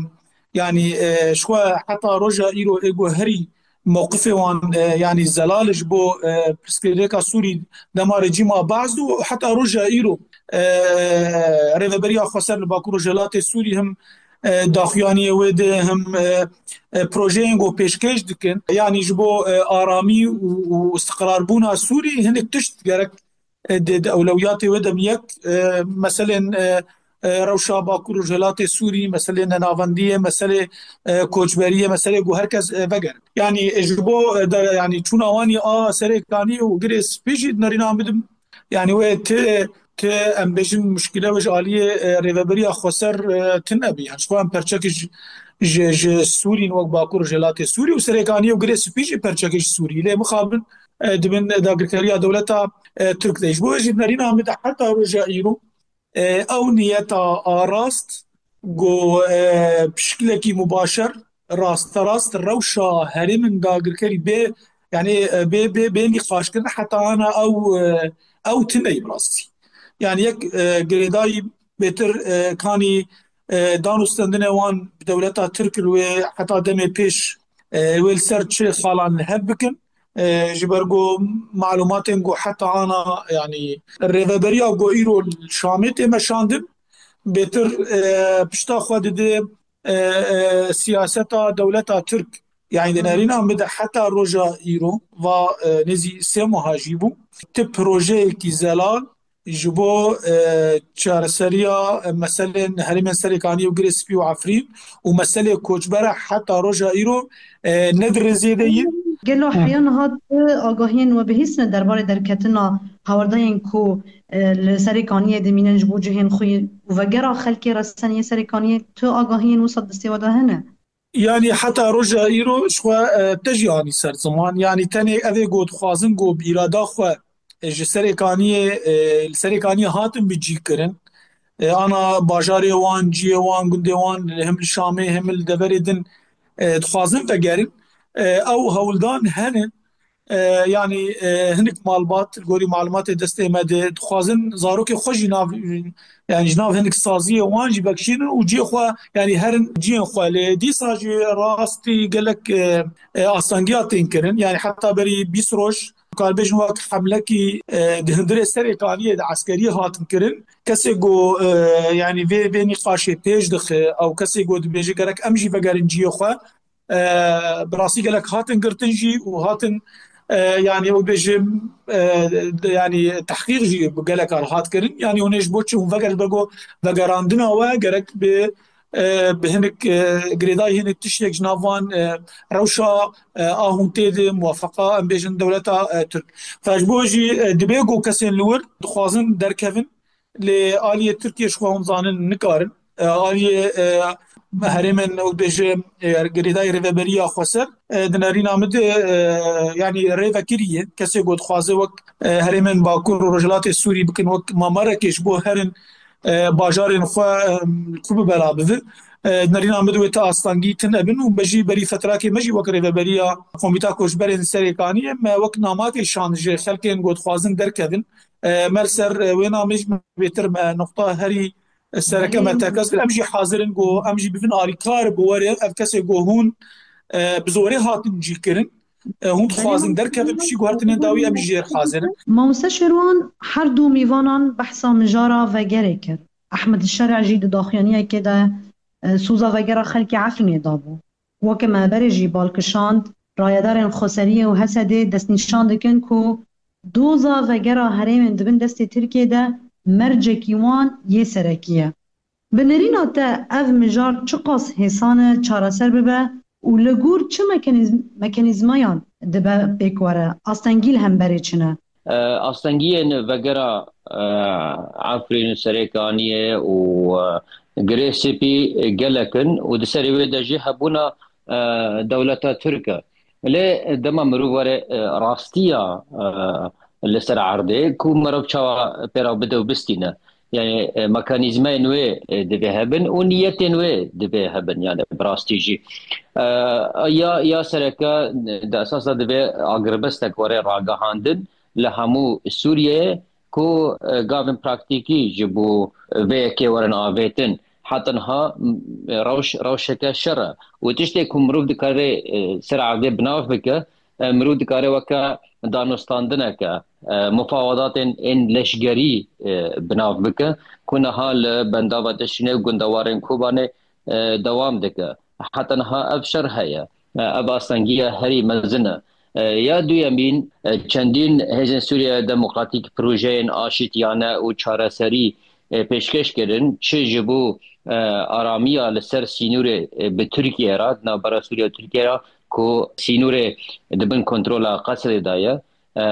yanî, e, ji xwe heta roja îro ê ku herî mewqifê wan, e, yanî zelal ji bo, e, pirsgirêka Sûrî dema rejîma Baas û heta roja îro, e, Rêveberiya Xweser li Bakur Rojhilatê Sûrî him, e, daxuyaniyê wê de him, e, e, projeyên ku pêşkêş dikin, yanî ji bo, e, aramî û, û istiqrarbûna Sûrî hinek tişt gerek e, di, di ewlewiyatê wê de yek, e, meselên, e, e, rewşa Bakur Rojhilatê Sûrî, meselê nenavendiyê, meselê, e, koçberiyê, meselê ku her kes, e, vegerin. Yanî, e, ji bo, e, de, yanî çûna wanî a Serêkanî û Girê Spî jî di nerîna min de, yanî wê ti, ti em bêjin muşkile wê ji aliyê, e, rêveberiya xweser, e, tune bî. Yanî ji xwe em perçekî ji, ji, ji Sûrîn wek Bakur Rojhilatê Sûrî û Serêkanî û Girê Spî jî perçekî ji Sûrî. Lê mixabin, e, dibin dagirkeriya dewleta, e, Tirk de. Ji bo wê jî di nerîna min de heta roja îro, e, ew niyeta a rast ku, e, bi şiklekî mubaşer, rasterast rewşa herêmin dagirkerî bê, yanî, e, bê, bê, bê nîqaşkirin heta ana ew, e, ew tune ye bi rastî. Yanî yek, e, girêdayî bêtir, e, kanî, e, dan û stendinê wan bi dewleta Tirk li wê heta demê pêş, e, wê li ser çi xalan li hev bikin. E, ji ber ku malumatên ku heta ana, yanî rêveberiya ku îro li Şamê tê meşandin, bêtir, e, pişta xwe dide, e, e, siyaseta dewleta Tirk. Yanî di nerîna min de heta roja îro va, e, nêzî sê meha jî bû. Ti projeyekî zelal ji bo, e, çareseriya, e, meselên herêmên Serêkanî û Girê Spî û Efrîn û meselê koçbera heta roja îro, e, ne di rêzê de ye. Gelo heya niha tu agahiyên we bihîstine derbarê derketina hawardeyên ku, e, li Serêkaniyê dimînin ji bo cihên xwe û vegera xelkê reseniyê Serêkaniyê, tu agahiyên wisa destê we de hene? Yanî heta roja îro ji xwe, e, te jî anî ser ziman. Yanî tenê ev ê ku dixwazin ku bi îrada xwe, e, ji Serêkaniyê, e, li Serêkaniyê hatin bicî kirin. E, ana bajarê wan, ciyê wan, gundê wan, hem li Şamê, hem li deverê din, e, dixwazin vegerin. E, ew hewldan hene. E, yanî, e, hinek malbat, li gorî malumatê destê me de, dixwazin zarokê xwe jî nav, yanî ji nav hinek saziyê wan jî vekişînin û cihê xwe, yanî herin cihên xwe. Lê dîsa jî rastî gelek, e, e, astengiya tên kirin. Yanî heta berî bîst roj, karibêjin wek hemlekî, e, di hundirê Serêkaniyê de eskeriyê hatin kirin. Kesê ku, e, yanî vê, vê nîqaşê pêş dixe, ew kesê ku dibêje gerek em jî vegerin cihê xwe, e, bi rastî gelek hatin girtin jî û hatin, e, yanî ew bêjim, e, de, yanî tehqîq jî bi gelek an hat kirin. Yanî hûn ê ji bo çi hûn veger, li ber ku vegerandina we gerek bi, e, bi hinek, e, girêdayî hinek tiştek ji nav van, e, rewşa, e, a hûn tê de muwefeqa, em bêjin dewleta, e, Tirk. Fe ji bo jî, e, dibe ku kesên li wir dixwazin derkevin, lê aliyê Tirkiyê ji xwe hûn zanin nikarin. E, aliyê, e, herêmên, ew bêje, e, girêdayî rêveberiya xweser, e, di nerîna min de, e, yanî rê vekirî ye. Kesê ku dixwaze wek, e, herêmên Bakur û Rojhilatê Sûrî bikin, wek Mamerekê ji bo herin, e, bajarên xwe, e, xwe bi bela bivin. E, di nerîna min de wê ti astengî tune bin û me jî berî fetrakê me jî wek rêveberiya Komîta Koçberên Serêkaniyê me wek namakê şand ji xelkên ku dixwazin derkevin. E, me li ser, e, wê namê jî bêtir me nuqta herî sereke me tekez kir. Em jî hazir in ku em jî bibin alîkar bi werê ev kesê ku hûn, e, bi zorê hatin cî kirin. E, hûn dixwazin derkevin, piştî guhertinên dawî em jî jêr hazir in. Mamoste Şêrwan her du mîvanan behsa mijara vegerê kir. Ehmed Şer'e jî di daxuyaniyekê de, e, soza vegera xelkê Efrînê dabû. Weke me berê jî bal kişand, rayedarên Xweseriyê û H S D'ê destnîşan dikin ku doza vegera herêmên di bin destê Tirkiyê de mercekî wan yê serekî ye. Bi nerîna te ev mijar çiqas hêsan e çareser bibe û li gor çi mekanîz-, mekanîzmayan dibe pêkwere? Astengî li hemberê çi ne? E, astengiyên vegera, e, Efrîn û Serêkaniyê û, e, Girê Spî gelek in û di serê wê de jî hebûna, e, dewleta Tirk e. Lê dema mirov were, e, rastiya, e, li ser erdê ku mirov çawa pê re bide û bistîne. Yani, e, mekanîzmayên wê, e, divê hebin û niyetên wê divê hebin, yani bi rastî jî. E, ya, ya sereke, e, di esas de divê agirbestek were ragihandin li hemû Sûriyeyê ku, e, gavên praktîkî ji bo vê yekê werin avêtin. Heta niha, m, rewş, rewşeke şer e. Û tiştê ku mirov dikare, e, ser erdê bi nav bike, e, mirov dikare weke danûstandineke, e, mufawedatên ên leşgerî, e, bi nav bike, ku niha li Bendava Tişrînê û gundewarên Kobanê, e, dewam dike. Heta niha ev şer heye. E, ev astengiya herî mezin e. E, ya duyemîn, e, çendîn hêzên Sûriye Demokratîk projeyên aşîtiyane û çareserî, e, pêşkêş kirin, çi ji bo, e, aramiya li ser sînorê, e, bi Tirkiye re, di navbera Sûriye û Tirkiye re, ku sînorê di bin kontrola Qesrê de ye. E,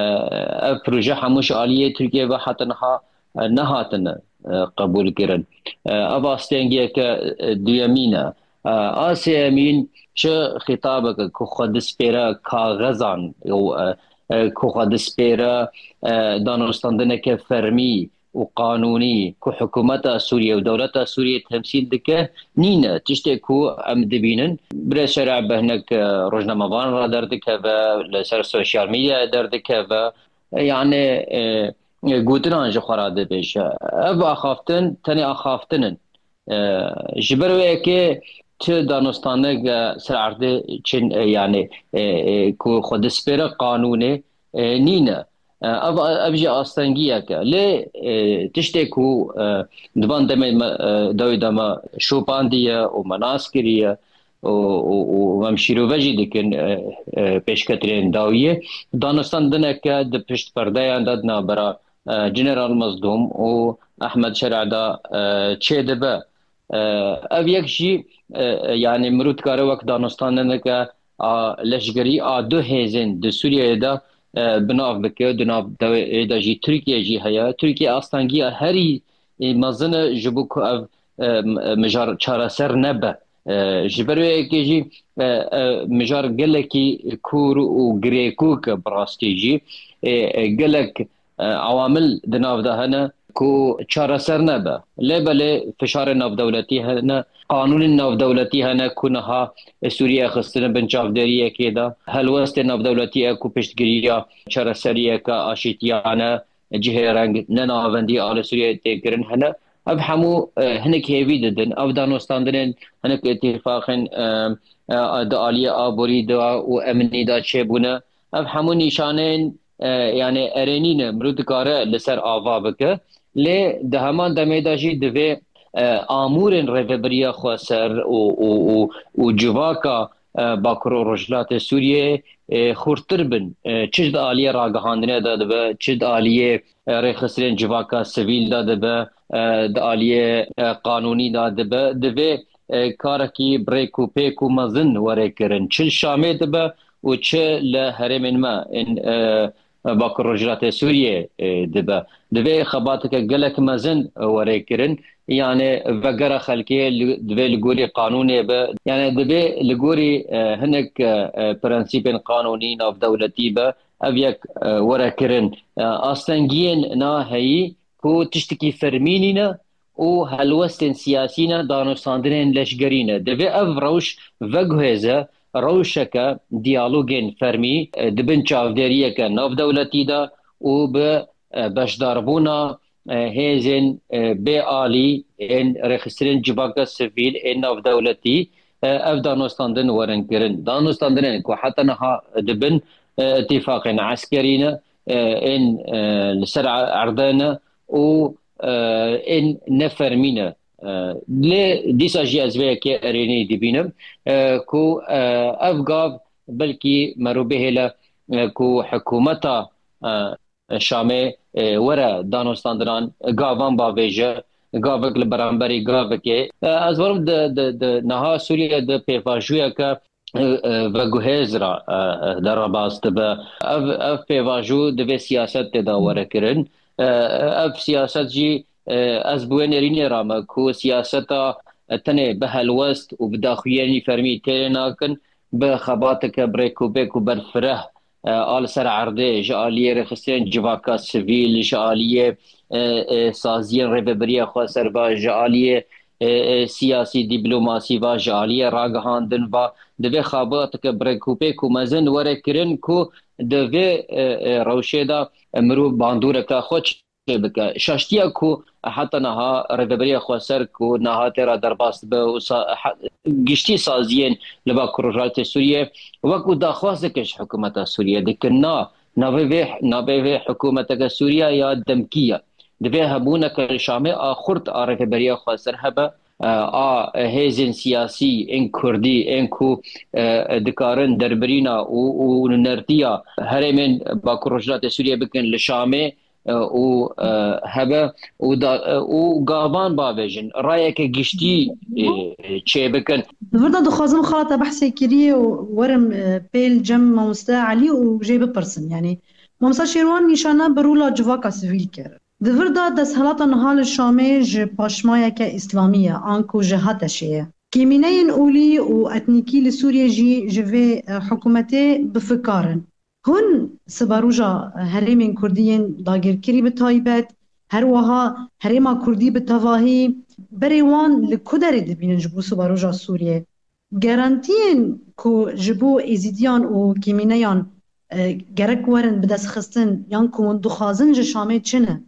ev proje hemû ji aliyê Tirkiye ve heta niha, e, nehatine, e, qebûl kirin. E, ev astengiyeke, e, duyemîn e. E, a sêyemîn çi xîtabeke ku xwe dispêre kaxezan û, e, e, ku xwe dispêre, e, danûstandineke fermî û qanûnî ku hikûmeta Sûriye û dewleta Sûriye temsîl dike, nîne. Tiştê ku em dibînin, Birêz Şerî bi hinek, e, rojnamevan re derdikeve, li ser sosyal medyayê derdikeve, e, yani, e, e, gotinan ji xwe re dibêje. Ev axaftin tenê axaftin in. E, ji ber wê yekê çi danûstanek, e, ser erdê çin, e, yani, e, e, ku xwe dispêre qanûnê, e, nîne. E, ev, ev jî astengiyek e. Lê, e, tiştê ku, e, di van demê me, e, dawî de me şopandiye û me nas kiriye û, û, û em şîrove jî dikin, e, e, pêşketinên dawiyê. Danûstandineke di pişt perdeyan de di navbera, e, General Mazlûm û Ehmed Şerî de, e, çêdibe. E, ev yek jî, e, e, yani mirov dikare wek danûstandineke a leşgerî a du hêzên di Sûriyeyê de, e, bi nav bike. Di nav dewê de jî Tirkiye jî heye. Tirkiye astengiya herî, e, mezin e ji bo ku ev, e, m-, mijar çareser nebe. E, ji ber wê yekê jî, e, e, mijar gelekî kûr û girêkûk e bi rastî jî. E, e, gelek e, ewamil di nav de hene ku çareser nebe. Lê belê fişarên navdewletî hene, qanûnên navdewletî hene ku niha Sûriye xistine bin çavdêriyekê de. Helwestên navdewletî e ku piştgiriya çareseriyeke aşîtiyane, cihê reng ne navendî a li Sûriyeyê tê kirin hene. Ev hemû, e, hinek hêvî didin. Ev danûstandinên hinek îtîfaqên, e, e, di aliyê aborî de û emnî de çêbûne. Ev hemû nîşaneyên, e, yani erênî ne, mirov dikare li ser ava bike. Lê di heman demê de jî divê, e, amûrên rêvebiriya xweser û, û, û, û civaka, e, Bakur û Rojhilatê Sûriyeyê, e, xurtir bin. E, çi di aliyê ragihandinê de dibe, çi di aliyê, e, rêxistinên civaka sivîl de dibe, e, di aliyê, e, qanûnî de dibe. Divê, e, karekî bi rêk û pêk û mezin were kirin. Çi li Şamê dibe û çi li herêmên me ên, e, Bakur Rojhilatê Sûriyê, e, dibe. Divê xebateke gelek mezin were kirin. Yani vegera xelkê li, divê li gorî qanûnê be. Yani divê li gorî, e, hinek, e, e, prensîpên qanûnî navdewletî be. Ev yek, e, were kirin. E, astengiyên naheyî ku tiştekî fermî nîne û helwestên siyasî ne, danûstandinên leşgerî ne. Divê ev rewş veguhêze rewşeke diyalogên fermî, e, di bin çavdêriyeke navdewletî de û bi, e, beşdarbûna, e, hêzên, e, bê alî ên rêxistinên civaka sivîl ên navdewletî, e, ev danûstandin werin kirin. Danûstandinên ku heta niha di bin, e, îtîfaqên eskerî ne, e, ên, e, li ser erdê ne û, e, ên nefermî ne. E, lê dîsa jî ez vê yekê erênî dibînim, e, ku, e, ev gav belkî mero bihêle, e, ku hikûmeta, e, Şamê, e, were danûstandinan gavan bavêje, gavek li beramberî gavekê. E, ez werim di, di, di niha Sûriye di pêvajoyeke, e, e, veguhêz re, e, e, derbas dibe. Ev, ev pêvajo divê siyaset tê de were kirin. E, ev siyaset jî, e, ez bi wê nêrînê re me ku siyaseta, e, tenê bi helwest û bi daxuyanî fermî têrê nakin, bi xebateke bi rêk û pêk û berfireh, e, a li ser erdê, ji aliyê rêxistinên civaka sivîl, ji aliyê, e, e, saziyên rêvebiriya xweser ve, ji aliyê, e, e, siyasî dîplomasî ve, ji aliyê ragihandin ve, divê xebateke bi rêk û pêk û mezin were kirin ku di vê, e, e, rewşê de mirov bandoreke xwe çê bike. Şaştiya ku heta niha rêveberiya xweser ku niha tê re derbas dibe û sa-, he-, giştî saziyên li Bakur Rojhilatê Sûriyê wekî daxwazeke ji hikûmeta Sûriyê dikin. Na, navê vê, navê vê hikûmeteke Sûriye ya demkî ye. Divê hebûneke li Şamê a xurt a rêveberiya xweser hebe. e, a hêzên siyasî ên kurdî ên ku, e, dikarin derbirîna û, û nerdiya herêmên Bakur Rojhilatê Sûriyê bikin li Şamê, e, û, e, hebe û da, e, û gavan bavêjin, rayeke giştî, e, çêbikin. Di vir de dixwazim xala te behsê kirî û werim, e, pêl cem mamoste Elî û jê bipirsim. Yanî mamoste Şêrwan nîşana bi rûla civaka sivîl kir. Di vir de desthilata niha li Şamê ji paşmayeke îslamî ye, anku ji HTŞ'ê ye. Kêmîneyên olî û etnîkî li Sûriyê jî ji vê, e, hikûmetê bi fikar in. Hûn siberoja herêmên kurdî yên dagirkirî bi taybet, her wiha herêma kurdî bi tevahî, berê wan li ku derê dibînin ji bo siberoja Sûriyê? Garantiyên ku ji bo êzîdiyan û kêmîneyan, e, gerek werin bidestxistin yan ku hûn dixwazin ji Şamê çi ne?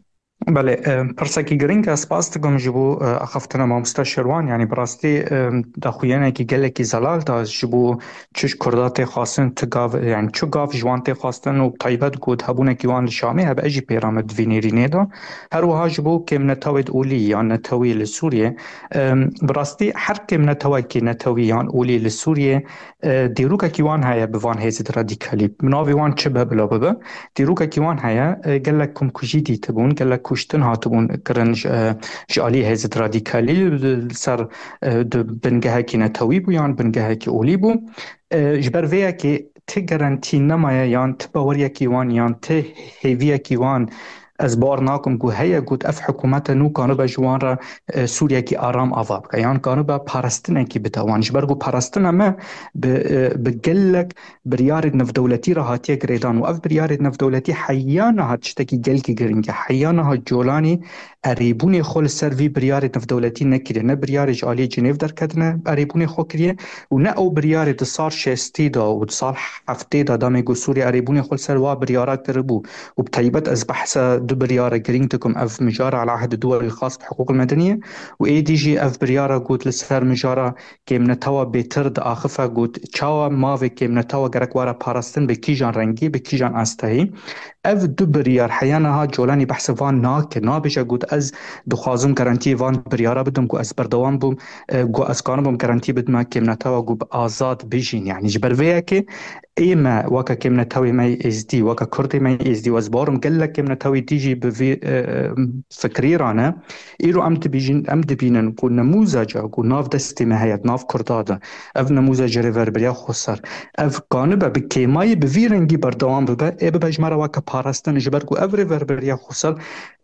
Belê, e, pirsekî giring e. Spas dikim ji bo, e, axaftina mamoste Şerwan. Yanî bi rastî, e, daxuyanekî gelekî zelal da ji bo çi ji Kurda tê xwestin, tu gav, yanî çi gav ji wan tê xwestin û bi taybet got hebûnekî wan li Şamê hebe, ez jî pêra me di vî nêrînê de. Her wiha ji bo kêmnetewê olî yan netewî li Sûriyê, e, bi rastî her kêmnetewekî netewî yan olî li Sûriyê, e, dîrokekî wan heye bi van hêzên radîkalî. Bi navê wan çi be bila bibe, dîrokekî wan heye, e, gelek komkujî dîtibûn, gelek kuştin hatibûn kirin ji, e, ji alî hêzên radîkalî, li ser, e, di bingehekî netewî bû yan bingehekî olî bû. E, ji ber vê yekê ti garantî nemaye yan ti baweriyekî wan yan ti hêviyekî wan ez bawer nakim ku heye, got ev hikûmete nû kanibe ji wan re, e, Sûriyekî aram ava bike, yan kanibe parastinekî bide wan. Ji ber ku parastina me bi, e, bi gelek biryarê navdewletî re hatiye girêdan û ev biryarê navdewletî heya niha tiştekî gelkî giring e. Heya niha Colanî erêbûnê xwe li ser vî biryarê navdewletî nekiriye. Ne biryarê ji aliyê Cinêv derketine erêbûnê xwe kiriye û ne ew biryarê di sal şêstî de û di sal heftê de demê ku Sûriye erêbûnê xwe li ser wa biryara kiribû. Û bi taybet ez behsa du biryara girîng dikim. Ev mijara Al-Ahd Duwelî Xas bi Hiqûq Medeniye û êdî jî ev biryara got li ser mijara kêmnetewa bêtir diaxife, got çawa mavê kêmnetewa gerek were parastin, bi kîjan rengî, bi kîjan asteyî. Ev du biryar heya niha Colanî behsê van nake, nabêje got ez dixwazim garantiyê van biryara bidim, ku ez berdewam bûm, e, ku ez kanibim garantî bidime kêmnetewa ku bi azad bijîn. Yanî ji ber vê yekê ê me weke kêmnetewê me yê êzdî, weke kurdê me yê êzdî, û ez bawerim gelek kêmnetewê dî jî bi vî, e, fikrî re ne. Îro em dibîjin, em dibînin ku nemûzeca ku nav destê me heye, nav kurda de, ev nemûzeca Rêverberiya Xweser, ev kanibe bi kêmayî bi vî rengî berdewam bibe, ê bibe ji me re weke parastin, ji ber ku ev Rêverberiya Xweser,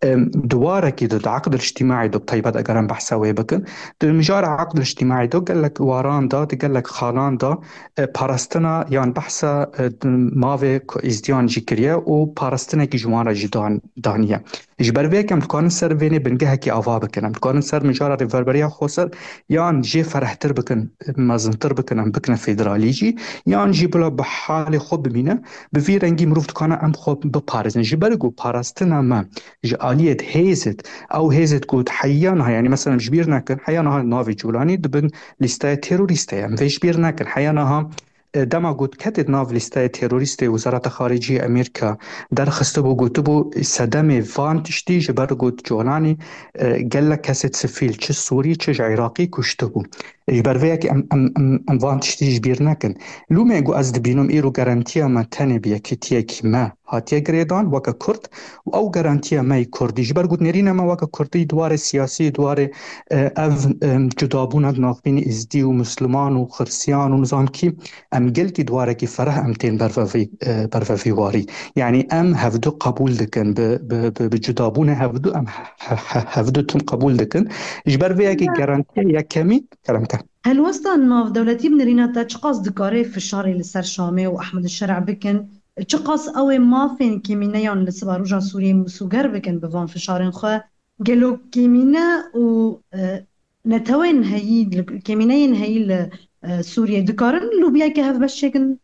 em, di warekî de, di eqd îctîmaî de, bi taybet eger em behsa wê bikin, di mijara eqd îctîmaî de gelek waran de, di gelek xalan de, e, parastina yan behsa, e, di mavê ku êzdiyan jî kiriye û parastinekî ji wan re jî dan, daniye. Ji ber vê yekê em dikarin ser vênê bingehekî ava bikin. Em dikarin ser mijara Rêverberiya Xweser yan jê ferehtir bikin, mezintir bikin, em bikine federalî jî, yan jî bila bi halê xwe bimîne. Bi vî rengî mirov dikane em xwe biparêzin. Ji ber ku parastina me ji aliyê hêzê, ew hêzê ku heya niha, yanî mesela em ji bîr nekin, heya niha navê Colanî di bin lîsteya terorîst de ye. Em vê ji bîr nekin. Heya niha, e, dema got ketê di nav lîsteya terorîstê, Wezareta Xaricî yê Amerîka derxistibû, gotibû sedemê van tiştî ji ber got Colanî, e, gelek kesê sivîl, çi Sûrî, çi ji Iraqî kuştibû. Ji ber vê yekê em, em, em, em van tiştî ji bîr nekin. Lûmê ku ez dibînim îro garantiya me tenê bi yekîtiyekî me hatiye girêdan weke Kurd û ew garantiya me yê Kurdî. Ji ber ku nêrîna me weke Kurdî di warê siyasî, di warê, e, ev, e, cudabûna di navbînî Êzdî û Misliman û Xirsiyan û nizam kî, em gelkî di warekî fereh em tên bervevî, e, bervevî warî. Yanî em hevdu qebûl dikin, bi, bi, bi, bi cudabûnê hevdu em he-, he-, he-, hevdu tim qebûl dikin. Ji ber vê yekê garantiya yekemîn, kerem ke. Helwesta navdewletî bi nêrîna te çiqas dikare fişarê li ser Şamê û Ehmed Şer'a bikin? Çiqas ew ê mafên kêmîneyan li Siberoja Sûriyê misûger bikin bi van fişarên xwe? Gelo kêmîne û, e, netewên heyî, li, kêmîneyên heyî li, e, Sûriyê dikarin lûbiyeke hevbeş çêkin?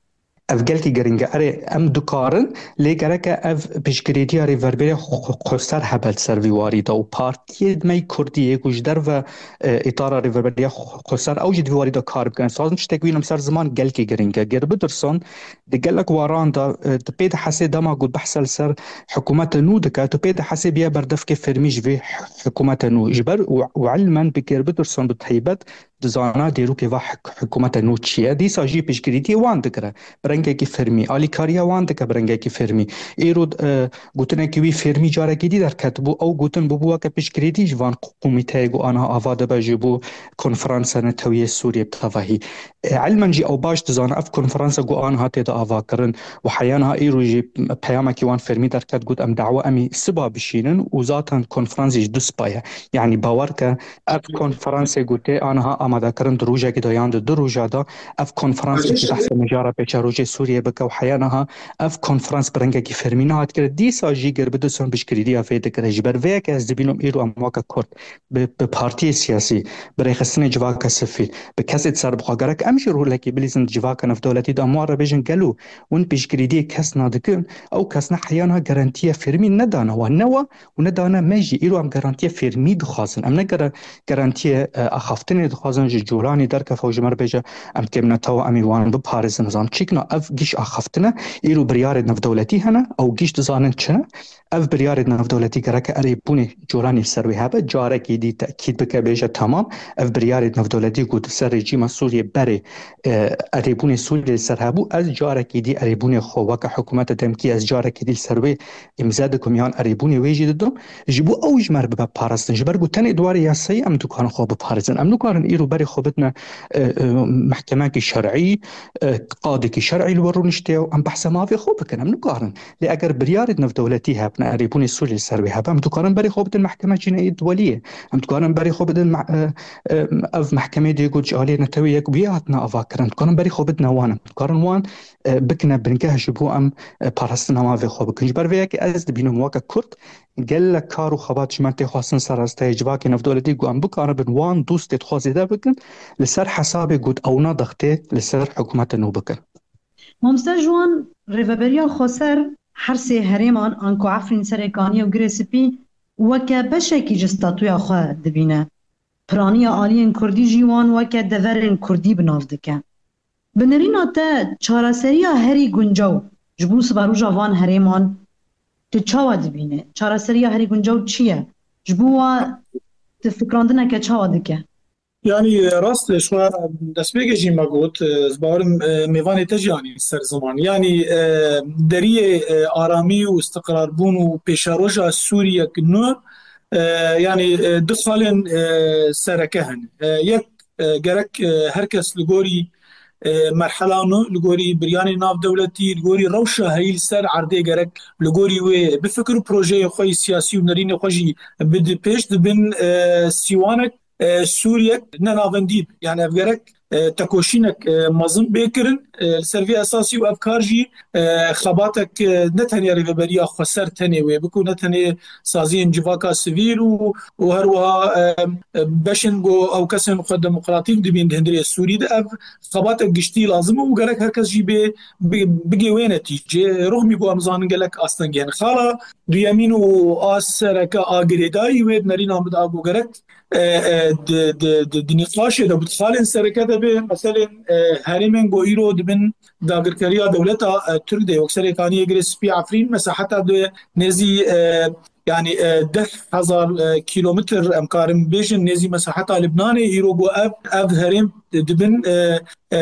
Ev gelkî giring e. Erê, em dikarin, lê gereke ev piştgirêtiya Rêverberiya Xweser hebe li ser vî warî de û partiyê me yê Kurdî yê ku ji derve, e, îtara Rêverberiya Xweser ew jî di vî warî de kar bikin. Ez dixwazim tiştek bînim ser ziman, gelkî giring e. Gerbederson di gelek waran de, e, tu pê dihesê dema ku behse li ser hikûmeta nû dike, tu pê dihesê biye berdevkê fermî ji vê hikûmeta nû. Ji ber û, û ilmen bi Gerbederson bi taybet dizana dêrokê va hik-, hikûmeta nû çi ye. Dîsa jî piştgirîtiyê wan digire. Bi rengekî fermî. Alîkariya wan dike bi rengekî fermî. Îro, e, gotinekî wî fermî carekî dî derketibû. Ew gotin bûbû weke piştgirîtî ji van komîteyê ku aniha ava dibe ji bo Konferansa Netewî yê Sûriyê bi tevahî. E, ilmen jî ew baş dizane ev konferansa ku aniha tê de ava kirin û heya niha îro jî peyamekî wan fermî derket, got, em dawa em ê siba bişînin û zaten konferans jî du siba ye. Yanî bawer ke ev konferansê ku tê aniha amadekirin di rojekî de yan di du roja de, ev konferans jî behsa mijara pêşerojê Sûriyê bike û heya niha ev konferans bi rengekî fermî nehat kirin. Dîsa jî Gerbederson piştgirîtiya vê digire. Ji ber vê yekê ez dibînim îro em weke Kurd bi, bi partiyê siyasî, bi rêxistinê civaka sivîl, bi kesê di serbixwe gerek em jî rolekî bilîzin di civaka navdewletî de, em wan re bêjin, gelo hûn piştgirîtiyê kes nadikin, ew kes ne heya niha garantiya fermî nedane wan, ne wan û nedane me jî. Îro em garantiya fermî dixwazin. Em ne gere-, garantiya, e, axaftinê dixwazin ji Colanî derkefe û ji me re bêje, em kêm netew e, em ê wan biparêzin. Nizam çêkna ev giş axaftin e. Îro biryarê navdewletî hene, ew giş dizanin çi ne. Ev biryarê navdewletî gereke erêbûnê Colanî li ser wê hebe, carekî dî tekîd bike, bêje, temam, ev biryarê navdewletî ku di ser rejîma Sûriyê berê, e, erêbûnê Sûriyê li ser hebû, ez carekî dî erêbûnê xwe weke hikûmeta demkî, ez carekî dî li ser wê îmze dikim yan erêbûnê wê jî didim, ji bo ew ji me re bibe parastin. Ji ber ku tenê di warê yasayî em dikarin xwe biparêzin. Em nikarin îro berê xwe bidine, e, e, mehkemekî şer'î, e, qadekî şer'î li wir rûniştiye û em behsa mafê xwe bikin. Em nikarin. Lê eger biryarê navdewletî hebne, erêbûnê Sûriyê li ser wê hebe, em dikarin berê xwe bidin Mehkema Cînayî Deweliyê. Em dikarin berê xwe bidin me-, e, e, ev mehkemeyê dê got ji aliyê Netewê Yek bûye hatine avakirin. Em dikarin berê xwe bidine wan. Em dikarin wan, e, bikine bingeh ji bo em, e, parastina mafê xwe bikin. Ji ber vê yekê ez dibînim weke Kurd gelek kar û xebat ji me tê xwestin ser rasteyê civakê navdewletî ku em bikaribin wan dostê xwe zêde bikin, li ser hesabê ku ewna dextê li ser hikûmeta nû bikin. Mamoste Jiwan, Rêveberiya Xweser her sê herêman, anku Efrîn, Serêkaniyê û Girê Spî, weke beşekî ji statûya xwe dibîne. Piraniya aliyên kurdî jî wan weke deverên kurdî bi nav dike. Bi nerîna te, çareseriya herî guncaw ji bo siberoja van herêman tu çawa dibîne? Çareseriya herî guncaw çi ye? Ji bo wa tu fikrandineke çawa dike? Yanî, e, rast e, ji xwe destpêkê jî me got, e, ez bawerim, e, mêvanê te jî anî ser ziman. Yanî, e, deriyê, e, aramî û istiqrarbûn û pêşeroja Sûriyek nû, e, yanî, e, du xalên, e, sereke hene. E, yek, e, gerek, e, her kes li gorî, e, merhela nû, li gorî biryanê navdewletî, li gorî rewşa heyî li ser erdê gerek li gorî wê bifikir û projeyê xwe yî siyasî û nerînê xwe jî bide pêş, dibin, e, sîwanek, e, Sûriyek ne navendî be. Yani ev gerek, e, tekoşînek, e, mezin bê kirin, e, li ser vê esasî û ev kar jî, e, xebatek, e, ne tenê Rêveberiya Xweser tenê wê bike û ne tenê saziyên civaka sivîl û, û her wiha, e, e, beşên ku ew kesên xwe demokratîk dibîn di hundirê Sûrî de, ev xebatek giştî lazim e û gerek her kes jî bê, bi-, bigê wê netîcê. Ruxmî ku em zanin gelek astengî hene. Xala duyemîn û a sereke a girêdayî wê di nerîna min de a ku gerek e, e, di, di, di, di nîqaşê de, bi xalên sereke de bê, meselên, e, herêmên ku îro dibin dagirkeriya dewleta, e, Tirk de, wek Serêkaniyê, Girê Spî, Efrîn, mesaheta di nêzî, e, yanî, e, deh hezar, e, kîlometr, em karin bêjin, nêzî mesaheta Libnanê, îro ku ev, ev herêm dibin, e, e,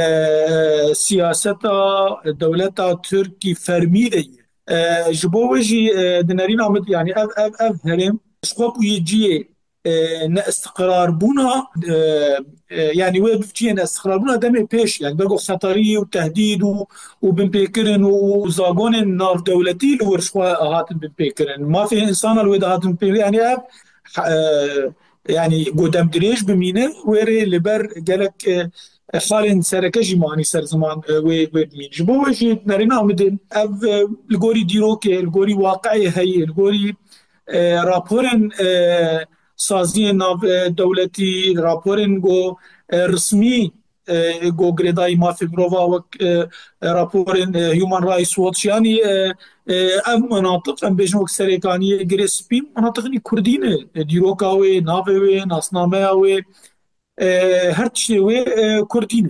siyaseta dewleta Tirkî fermî de ye. E, ji bo wê jî, e, di nerîna min, yanî ev, ev, ev herêm ji xwe bûye cihê e, neistiqrarbûna, e, e, yanî wê bivçiyê neistiqrarbûna demê pêş, yanî ber ku xeterî û tehdîd û, û binpêkirin û zagonên navdewletî li wir ji xwe hatin binpêkirin. Mafê însana li wê de hatin binpêkirin. Yanî ev, e, yanî ku demdirêj bimîne, wê rê li ber gelek, e, xalên sereke jî manî ser ziman, e, wê, wê bimîn. Ji bo wê jî nerîna min din ev, e, li gorî dîrokê, li gorî waqiê heyî, li gorî, e, raporên, e, saziyên nav, e, dewletî, raporên ku, e, resmî, e, go girêdayî mafê mirova wek, e, e, raporên, e, Human Rights Watch, yanî, e, e, ev menatiq, em bêjin wek Serêkaniyê, Girê Spî, menatiqî Kurdî ne. E, dîroka wê, navê wê, nasnameya wê, e, her tiştê wê, e, Kurdî ne.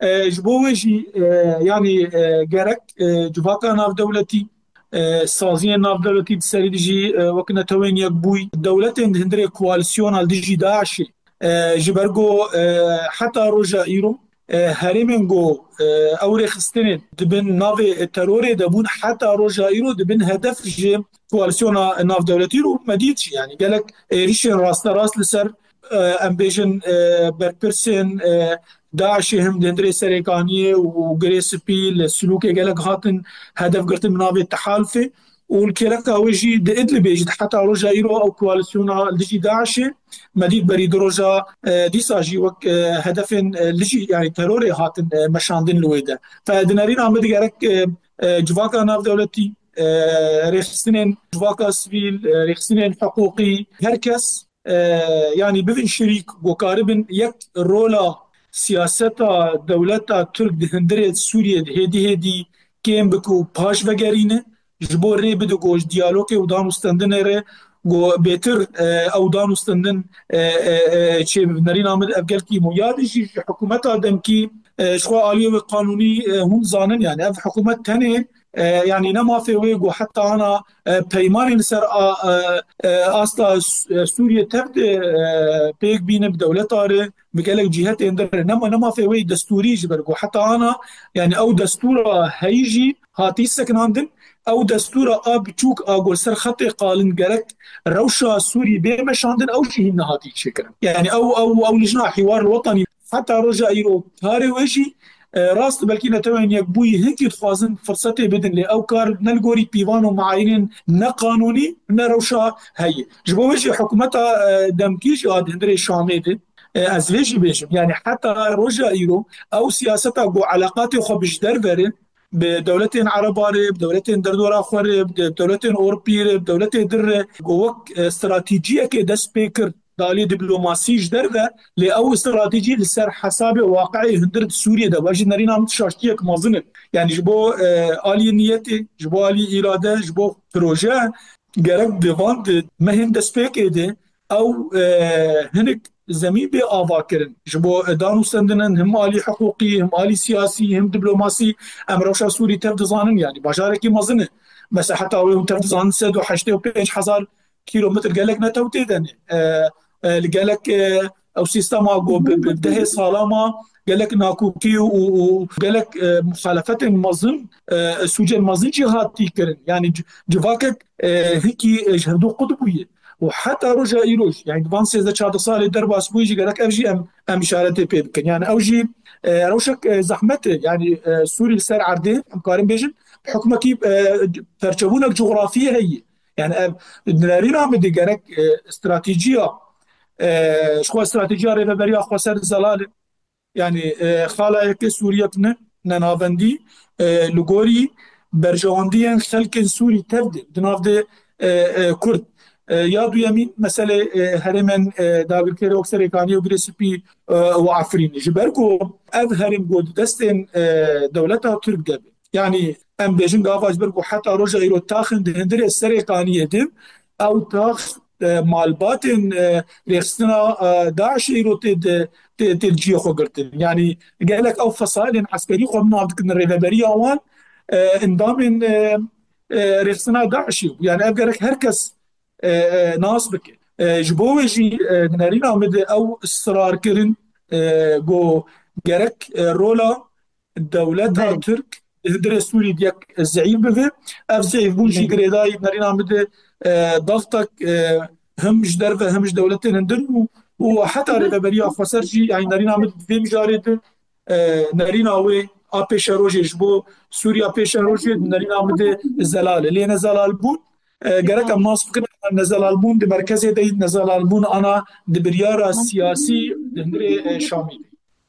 E, ji bo wê jî, e, yanî, e, gerek, e, civaka navdewletî, e, saziyên navdewletî di serî dijî, e, wek Netewên Yekbûyî, dewletên di hundirê koalîsyona li dijî DAIŞê, e, ji ber ku, e, heta roja îro, e, herêmên ku, e, ew rêxistinên di bin navê terorê de bûn, heta roja îro dibin hedef ji koalîsyona navdewletî û me dît jî, yanî gelek êrîşên rasterast li ser, e, em bêjin, e, berpirsên, e, DAIŞê him di hundirê Serêkaniyê û Girê Spî li Silûkê gelek hatin hedef girtin bi navê tehalufê. Û li kêleka wê jî di Idlibê jî heta roja îro ew koalîsyona li dijî DAIŞê me dît berî du roja, e, dîsa jî wek, e, hedefên, e, li jî, yanî terorê hatin, e, meşandin li wê de. Fe di nerîna min digerek, e, e, civaka navdewletî, e, rêxistinên civaka sivîl, e, rêxistinên hiqûqî, her kes, e, yanî bibin şirîk, ku karibin yek rola siyaseta dewleta Tirk di hundirê Sûriyê de hêdî hêdî kêm bike û paş vegerîne, ji bo rê bide ku ji diyalogê û dan û stendinê re ku bêtir, e, ew dan û stendin, e, e, e, çêbibe. Nerîna min ev gelkî muhim e. Ya din jî ji hikûmeta demkî, e, ji xwe aliyê wê qanûnî, e, hûn zanin, yanî ev hikûmet tenê, e, yanî ne mafê wê ku heta ana, e, peymanên li ser a, e, e, asta Sû-, e, Sûriyê tev de, e, pêk bîne bi dewleta re, bi gelek cîhetên din re. Ne ma-, ne mafê wê destûrî ji ber ku heta ana, yanî ew destûra heyî jî hatî sekinandin. Ew destûra a biçûk a ku li ser xetê qalin gerek rewşa Sûrî bê meşandin, ew jî hîn nehatî çêkirin. Yanî ew, ew, ew lijna hîwar li wetanî heta roja îro karê wê jî, e, rast belkî Netewên Yekbûyî hinkî dixwazin firsetê bidin, lê ew kar ne li gorî pîvan û meayînên ne qanûnî, ne rewşa heye. Ji bo wê jî hikûmeta, e, demkî jî a di hundirê Şamê de, e, ez vê jî bêjim. Yanî heta roja îro ew siyaseta ku eleqatê xwe bi ji derve re, bi dewletên Ereba re, bi dewletên derdora xwe re, bi de-, dewletên Ewropî re, bi dewletê din re, ku wek, e, stratejiyekê dest pê kir, di alî diplomasî ji derve, lê ew stratejî li ser hesabê waqi'ê hundir di Sûriyê de, ev jî nerîna min şaştiyek mezin e. Yanî ji bo, e, alî niyetê, ji bo alî îrade, ji bo proje, gerek di van di mehên destpêkê de ew, e, hinek zemîn bê avakirin. Ji bo, e, dan û stendinin him alî hiqûqî, him alî siyasî, him diplomasî, em rewşa Sûrî tev dizanin, yanî bajarekî mezin e. Mesela heta wê hûn tev dizanin sed û heştê û pênc hezar kîlometr gelek netew tê de ne. E, e, li gelek, e, ew sîstema ku bi, bi dehê sala ma gelek nakokî û, û gelek, e, muxalefetên mezin, e, sûcên mezin jî hatî kirin. Yanî ci-, civakek, e, hinkî, e, ji hevdû qut bûye. Û heta roja îroj, yanî di van sêzdeh çardeh salê derbas bûyî jî gerek ev jî em, em îşaretê pê bikin. Yanî ew jî, e, rewşek, e, zehmet e. Yanî, e, Sûrî li ser erdê, em karin bêjin, hikûmetî, e, perçebûnek cografiyê heye. Yanî ev nerîna min de gerek, e, stratejiya, e, ji xwe stratejiya rêveberiya xweser zelal e. Yanî, e, xala yekê Sûriyek ne, ne navendî, e, li gorî berjewendiyên xelkên Sûrî tev de, di nav de, e, e, Kurd. E, ya duyemîn meselê, e, herêmên, e, dagirkerê wek Serêkaniyê û Girê Spî, e, û Efrînê. Ji ber ku ev herêm ku di destên, e, dewleta Tirk de be. Yanî em bêjin gava ji ber ku heta roja îro taxin di hundirê Serêkaniyê de, ew tax, e, malbatên, e, rêxistina, e, DAIŞê îro tê di, tê, tê li cihê xwe girtin. Yanî gelek ew fesalên eskerî xwe bi nav dikin rêveberiya wan, e, endamên, e, e, rêxistina DAIŞê bû. Yanî ev gerek her kes, e, e, nas bike. E, ji bo wê jî, e, di nerîna min de ew israr kirin, e, ku gerek, e, rola dewleta Tirk di hundirê Sûrî yek zeîf bibe. Ev zeîfbûn jî girêdayî nerîna min de, e, dextek, e, him ji derve him ji dewletên hundir bû û heta rêveberiya xweser jî, yanî nerîna min di vê mijarê de, e, nerîna wê a pêşerojê ji bo Sûriya pêşerojê di nerîna min de zelal e. Lê nezelalbûn, e, gerek em nas bikin, nezelalbûn di merkezê de yî, nezelalbûn ana di biryara siyasî di hundirê, e, Şamê de.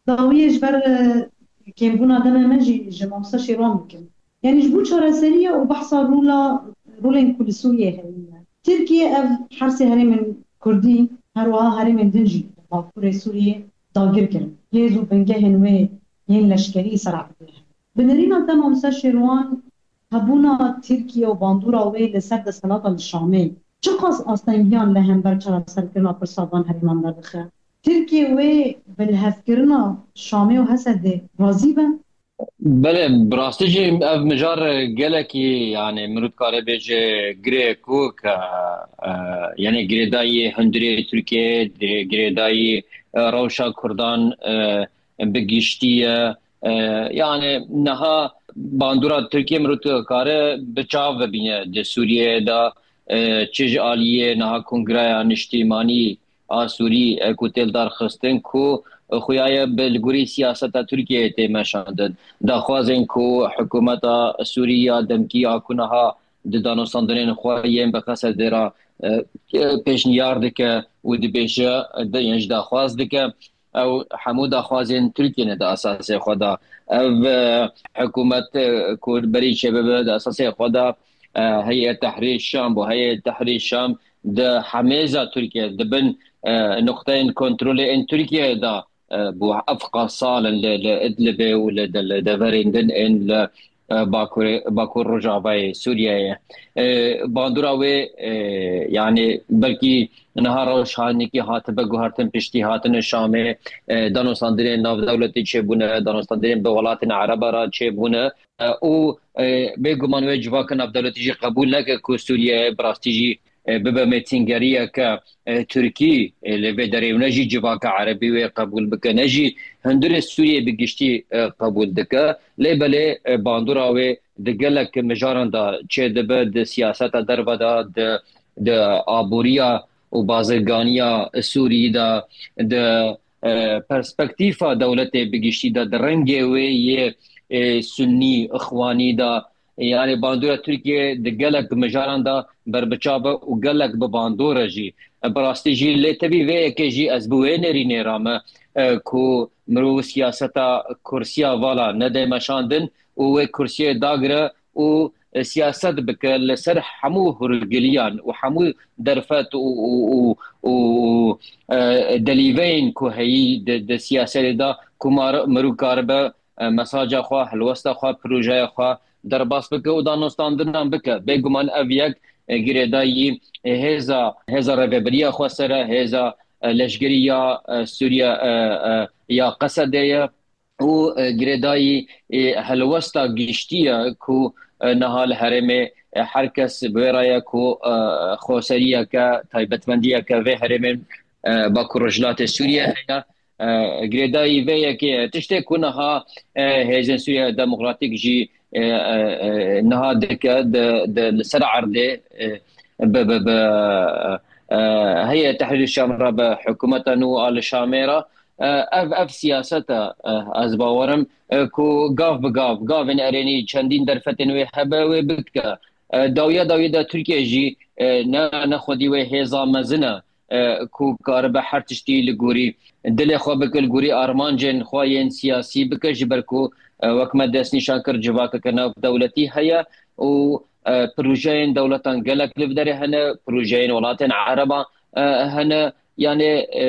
Dawiyê ji ber, e, kêmbûna demê me jî ji Mamosta Şêrwan bikim. Yanî ji bo çareseriya û behsa rola, rolên ku li Sûriyê heye. Tirkiye ev her sê herêmên Kurdî, her wiha herêmên din jî Bakurê Sûriyê dagir kirin. Hêz û bingehên wê yên leşkerî ser erdê hene. Bi nerîna te Mamoste Şêrwan, hebûna Tirkiye û bandora wê li ser desthilata li Şamê çiqas astengiyan li hember çareserkirina pirsa van herêman derdixe? Tirkiye wê bi lihevkirina Şamê û Hesedê razî be? Belê, bi rastî jî ev mijar gelekî, yani, mirov dikare bêje girêkok e, e, yani girêdayî hundirê Tirkiyeyê, girê-, girêdayî, e, rewşa Kurdan, e, bi giştî ye. E, yani niha bandora Tirkiye mirov dikare bi çav bibîne di Sûriyeyê de, e, çi ji aliyê niha Kongreya Niştîmanî a Sûrî, e, ku tê lidarxistin, ku xuya ye bi li gorî siyaseta Tirkiyeyê tê meşandin. Daxwazên ku hikûmeta Sûrî ya demkî ya ku niha di danûstandinên xwe yên bi Qesedê re, e, e, pêşniyar dike û dibêje, de, yên ji daxwaz dike, ew hemû daxwazên Tirkiyê ne di esasê xwe de. Ev, e, hikûmet, e, ku berî çêbibe di esasê xwe de, e, Heyet Tehrîr Şam bû. Heyet Tehrîr Şam di hemêza Tirkiye, di bin, e, nuqteyên kontrolê ên Tirkiye de, e, bû. Ev qas sal in li, li Idlibê û li, li, li deverên din ên li, e, Bakurê, Bakur Rojavayê Sûriyeyê. E, bandora wê, e, yani belkî niha rewş hanekî hatibe guhertin piştî hatine Şamê, e, danûstandinên navdewletî çêbûne, danûstandinên bi welatên Ereba re çêbûne, e, û, e, bêguman wê civaka navdewletî jî qebûl neke ku Sûriye bi rastî jî, e, bibe mêtingeriyeke, e, Tirkî, e, li vê derê û ne jî civaka Erebî wê qebûl bike, ne jî hundirê Sûriyê bi giştî, e, qebûl dike. Lê belê, e, bandora wê di gelek mijaran de çêdibe, di siyaseta derve de, di, di aboriya û bazirganiya Sûrî de, di, e, perspektîfa dewletê bi giştî de, di rengê wê yê, e, sunnî, ixwanî de, yani bandora Tirkiye di gelek mijaran de berbiçav e û gelek bi bandor e jî. E, bi rastî jî lê tevî vê yekê jî ez bi wê nerînê re me, e, ku mirov siyaseta kursiya vala nede meşandin û wê kursiyê dagire û, e, siyaset bike li ser hemû hûrgiliyan û hemû derfet û, û, û, û, e, delîveyên ku heyî di, di siyasetê de ku mar-, mirov karibe, e, mesaja xwe, helwesta xwe, projeya xwe derbas bike û danûstandinan bike. Bêguman ev yek, e, girêdayî, e, hêza, hêza rêvebiriya xweser e, hêza, e, leşkerî ya, e, Sûriye, e, e, ya Qesedê ye û, e, girêdayî, e, helwesta giştî ye ku, e, niha li herêmê, e, her kes bi wê re ye ku, e, xweseriyeke, taybetmendiyeke vê herêmên, e, Bakur Rojhilatê Sûriye heye. E, girêdayî vê yekê ye. Tiştê ku niha, e, Hêzên Sûriye Demokratîk jî, e, e, e, niha dike di, di, li ser erdê, e, bi, bi, bi, e, Heyet Tehrîr Şam re, bi hikûmeta nû a li Şamê re, e, ev, ev siyaseta, e, ez bawerim, e, ku gav bi gav, gavên erênî çendîn derfetên wê hebe, wê bike. E, dawiya dawî de Tirkiye jî, e, ne, ne xwedî wê hêza mezin e, e, ku karibe her tiştî li gorî dilê xwe bike, li gorî armancên xwe yên siyasî bike, ji ber ku, e, wek me destnîşan kir, civakeke navdewletî heye û, e, projeyên dewletan gelek li vê derê hene, projeyên welatên Ereban, e, hene. Yani, e,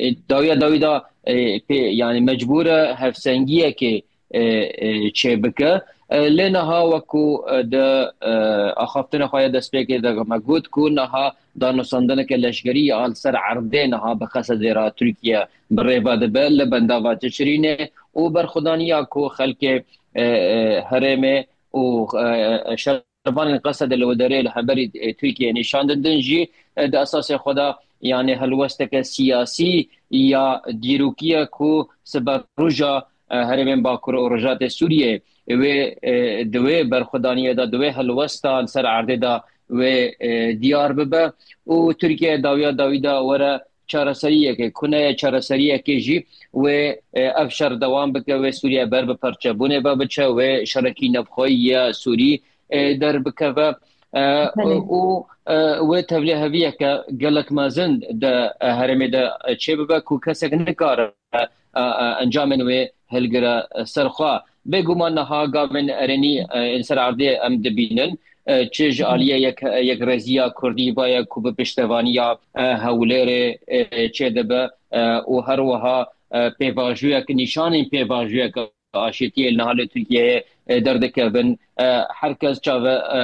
e, dawiya dawî de, e, pê, yani mecbûr e hevsengiyekê, e, e, çêbike. E, lê niha wekû, e, di, e, axaftina xwe ya destpêkê de me got ku niha danûstandineke leşkerî ya li ser erdê niha bi Qesedê re Tirkiye bi rê ve dibe li bendava Tişrînê û berxwedaniya ku xelkê, e, e, herêmê û, e, e, şer- şervanên Qesedê li wê derê li hemberî, e, Tirkiyeyê nîşan didin jî, e, di esasê xwe de, yani helwesteke siyasî ya dîrokî ye ku siberoja, e, herêmên Bakur û Rojatê Sûriyê wê, e, di wê berxwedaniyê de, di wê helwesta li ser erdê de wê, e, diyar bibe û Tirkiye dawiya dawî de were çareseriyekê, ku ne ye çareseriyekê jî wê, e, ev şer dewam bike, wê Sûriye ber bi perçebûnê ve biçe, wê şerekî navxweyî ya Sûrî, e, derbikeve, e, Belê. û, e, wê tevliheviyeke gelek mezin di, e, herêmê de, e, çêbibe ku kesek nikare, e, e, encamên wê hilgire, e, ser xwe. Bêguman niha gavên erênî, e, ên ser erdê em dibînin, e, çi ji aliyê yek, yekrêziya Kurdî ve ye ku bi piştevaniya, e, Hewlêrê, e, çêdibe, e, û her wiha, e, pêvajoyek, nîşanên pêvajoyek aşîtiyê li niha li Tirkiyeyê, e, derdikevin. E, her kes çave-, e,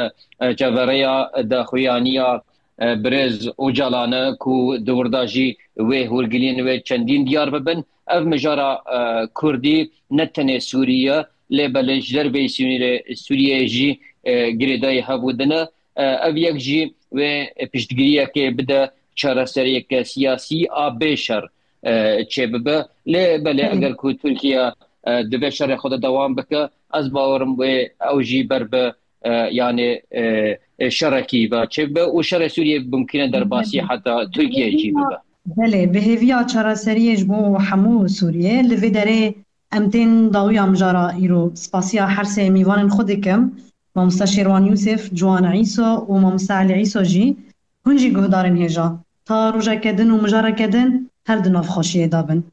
e, çaverêya daxuyaniya, e, birêz Ocalan e ku di wir de jî wê hûrgiliyên wê çendîn diyar bibin. Ev mijara, e, kurdî ne tenê Sûrî ye, lê belê ji derveyî sînorê Sûriyeyê jî, e, girêdayî hev û din e. E, ev yek jî wê piştgiriyekê bide çareseriyeke siyasî a bê şer, e, çêbibe. Lê belê Belê. eger ku Tirkiye, e, di vê şerê xwe de dewam bike, ez bawerim wê ew jî ber bi, e, yanê, e, e, şerekî ve çêbibe û şerê Sûriyê bimkîne derbasî Belê. heta Tirkiye jî bibe. Belê, bi hêviya çareseriyê ji bo hemû Sûriyê, li vê derê em tên dawiya mijara îro. Spasiya her sê mîvanên xwe dikim, Mamoste Şêrwan Yûsif, Ciwan Îso û Mamoste Elî Îso jî. Hûn jî guhdarên hêja. Ta rojeke din û mijareke din her di nav xweşiyê de bin.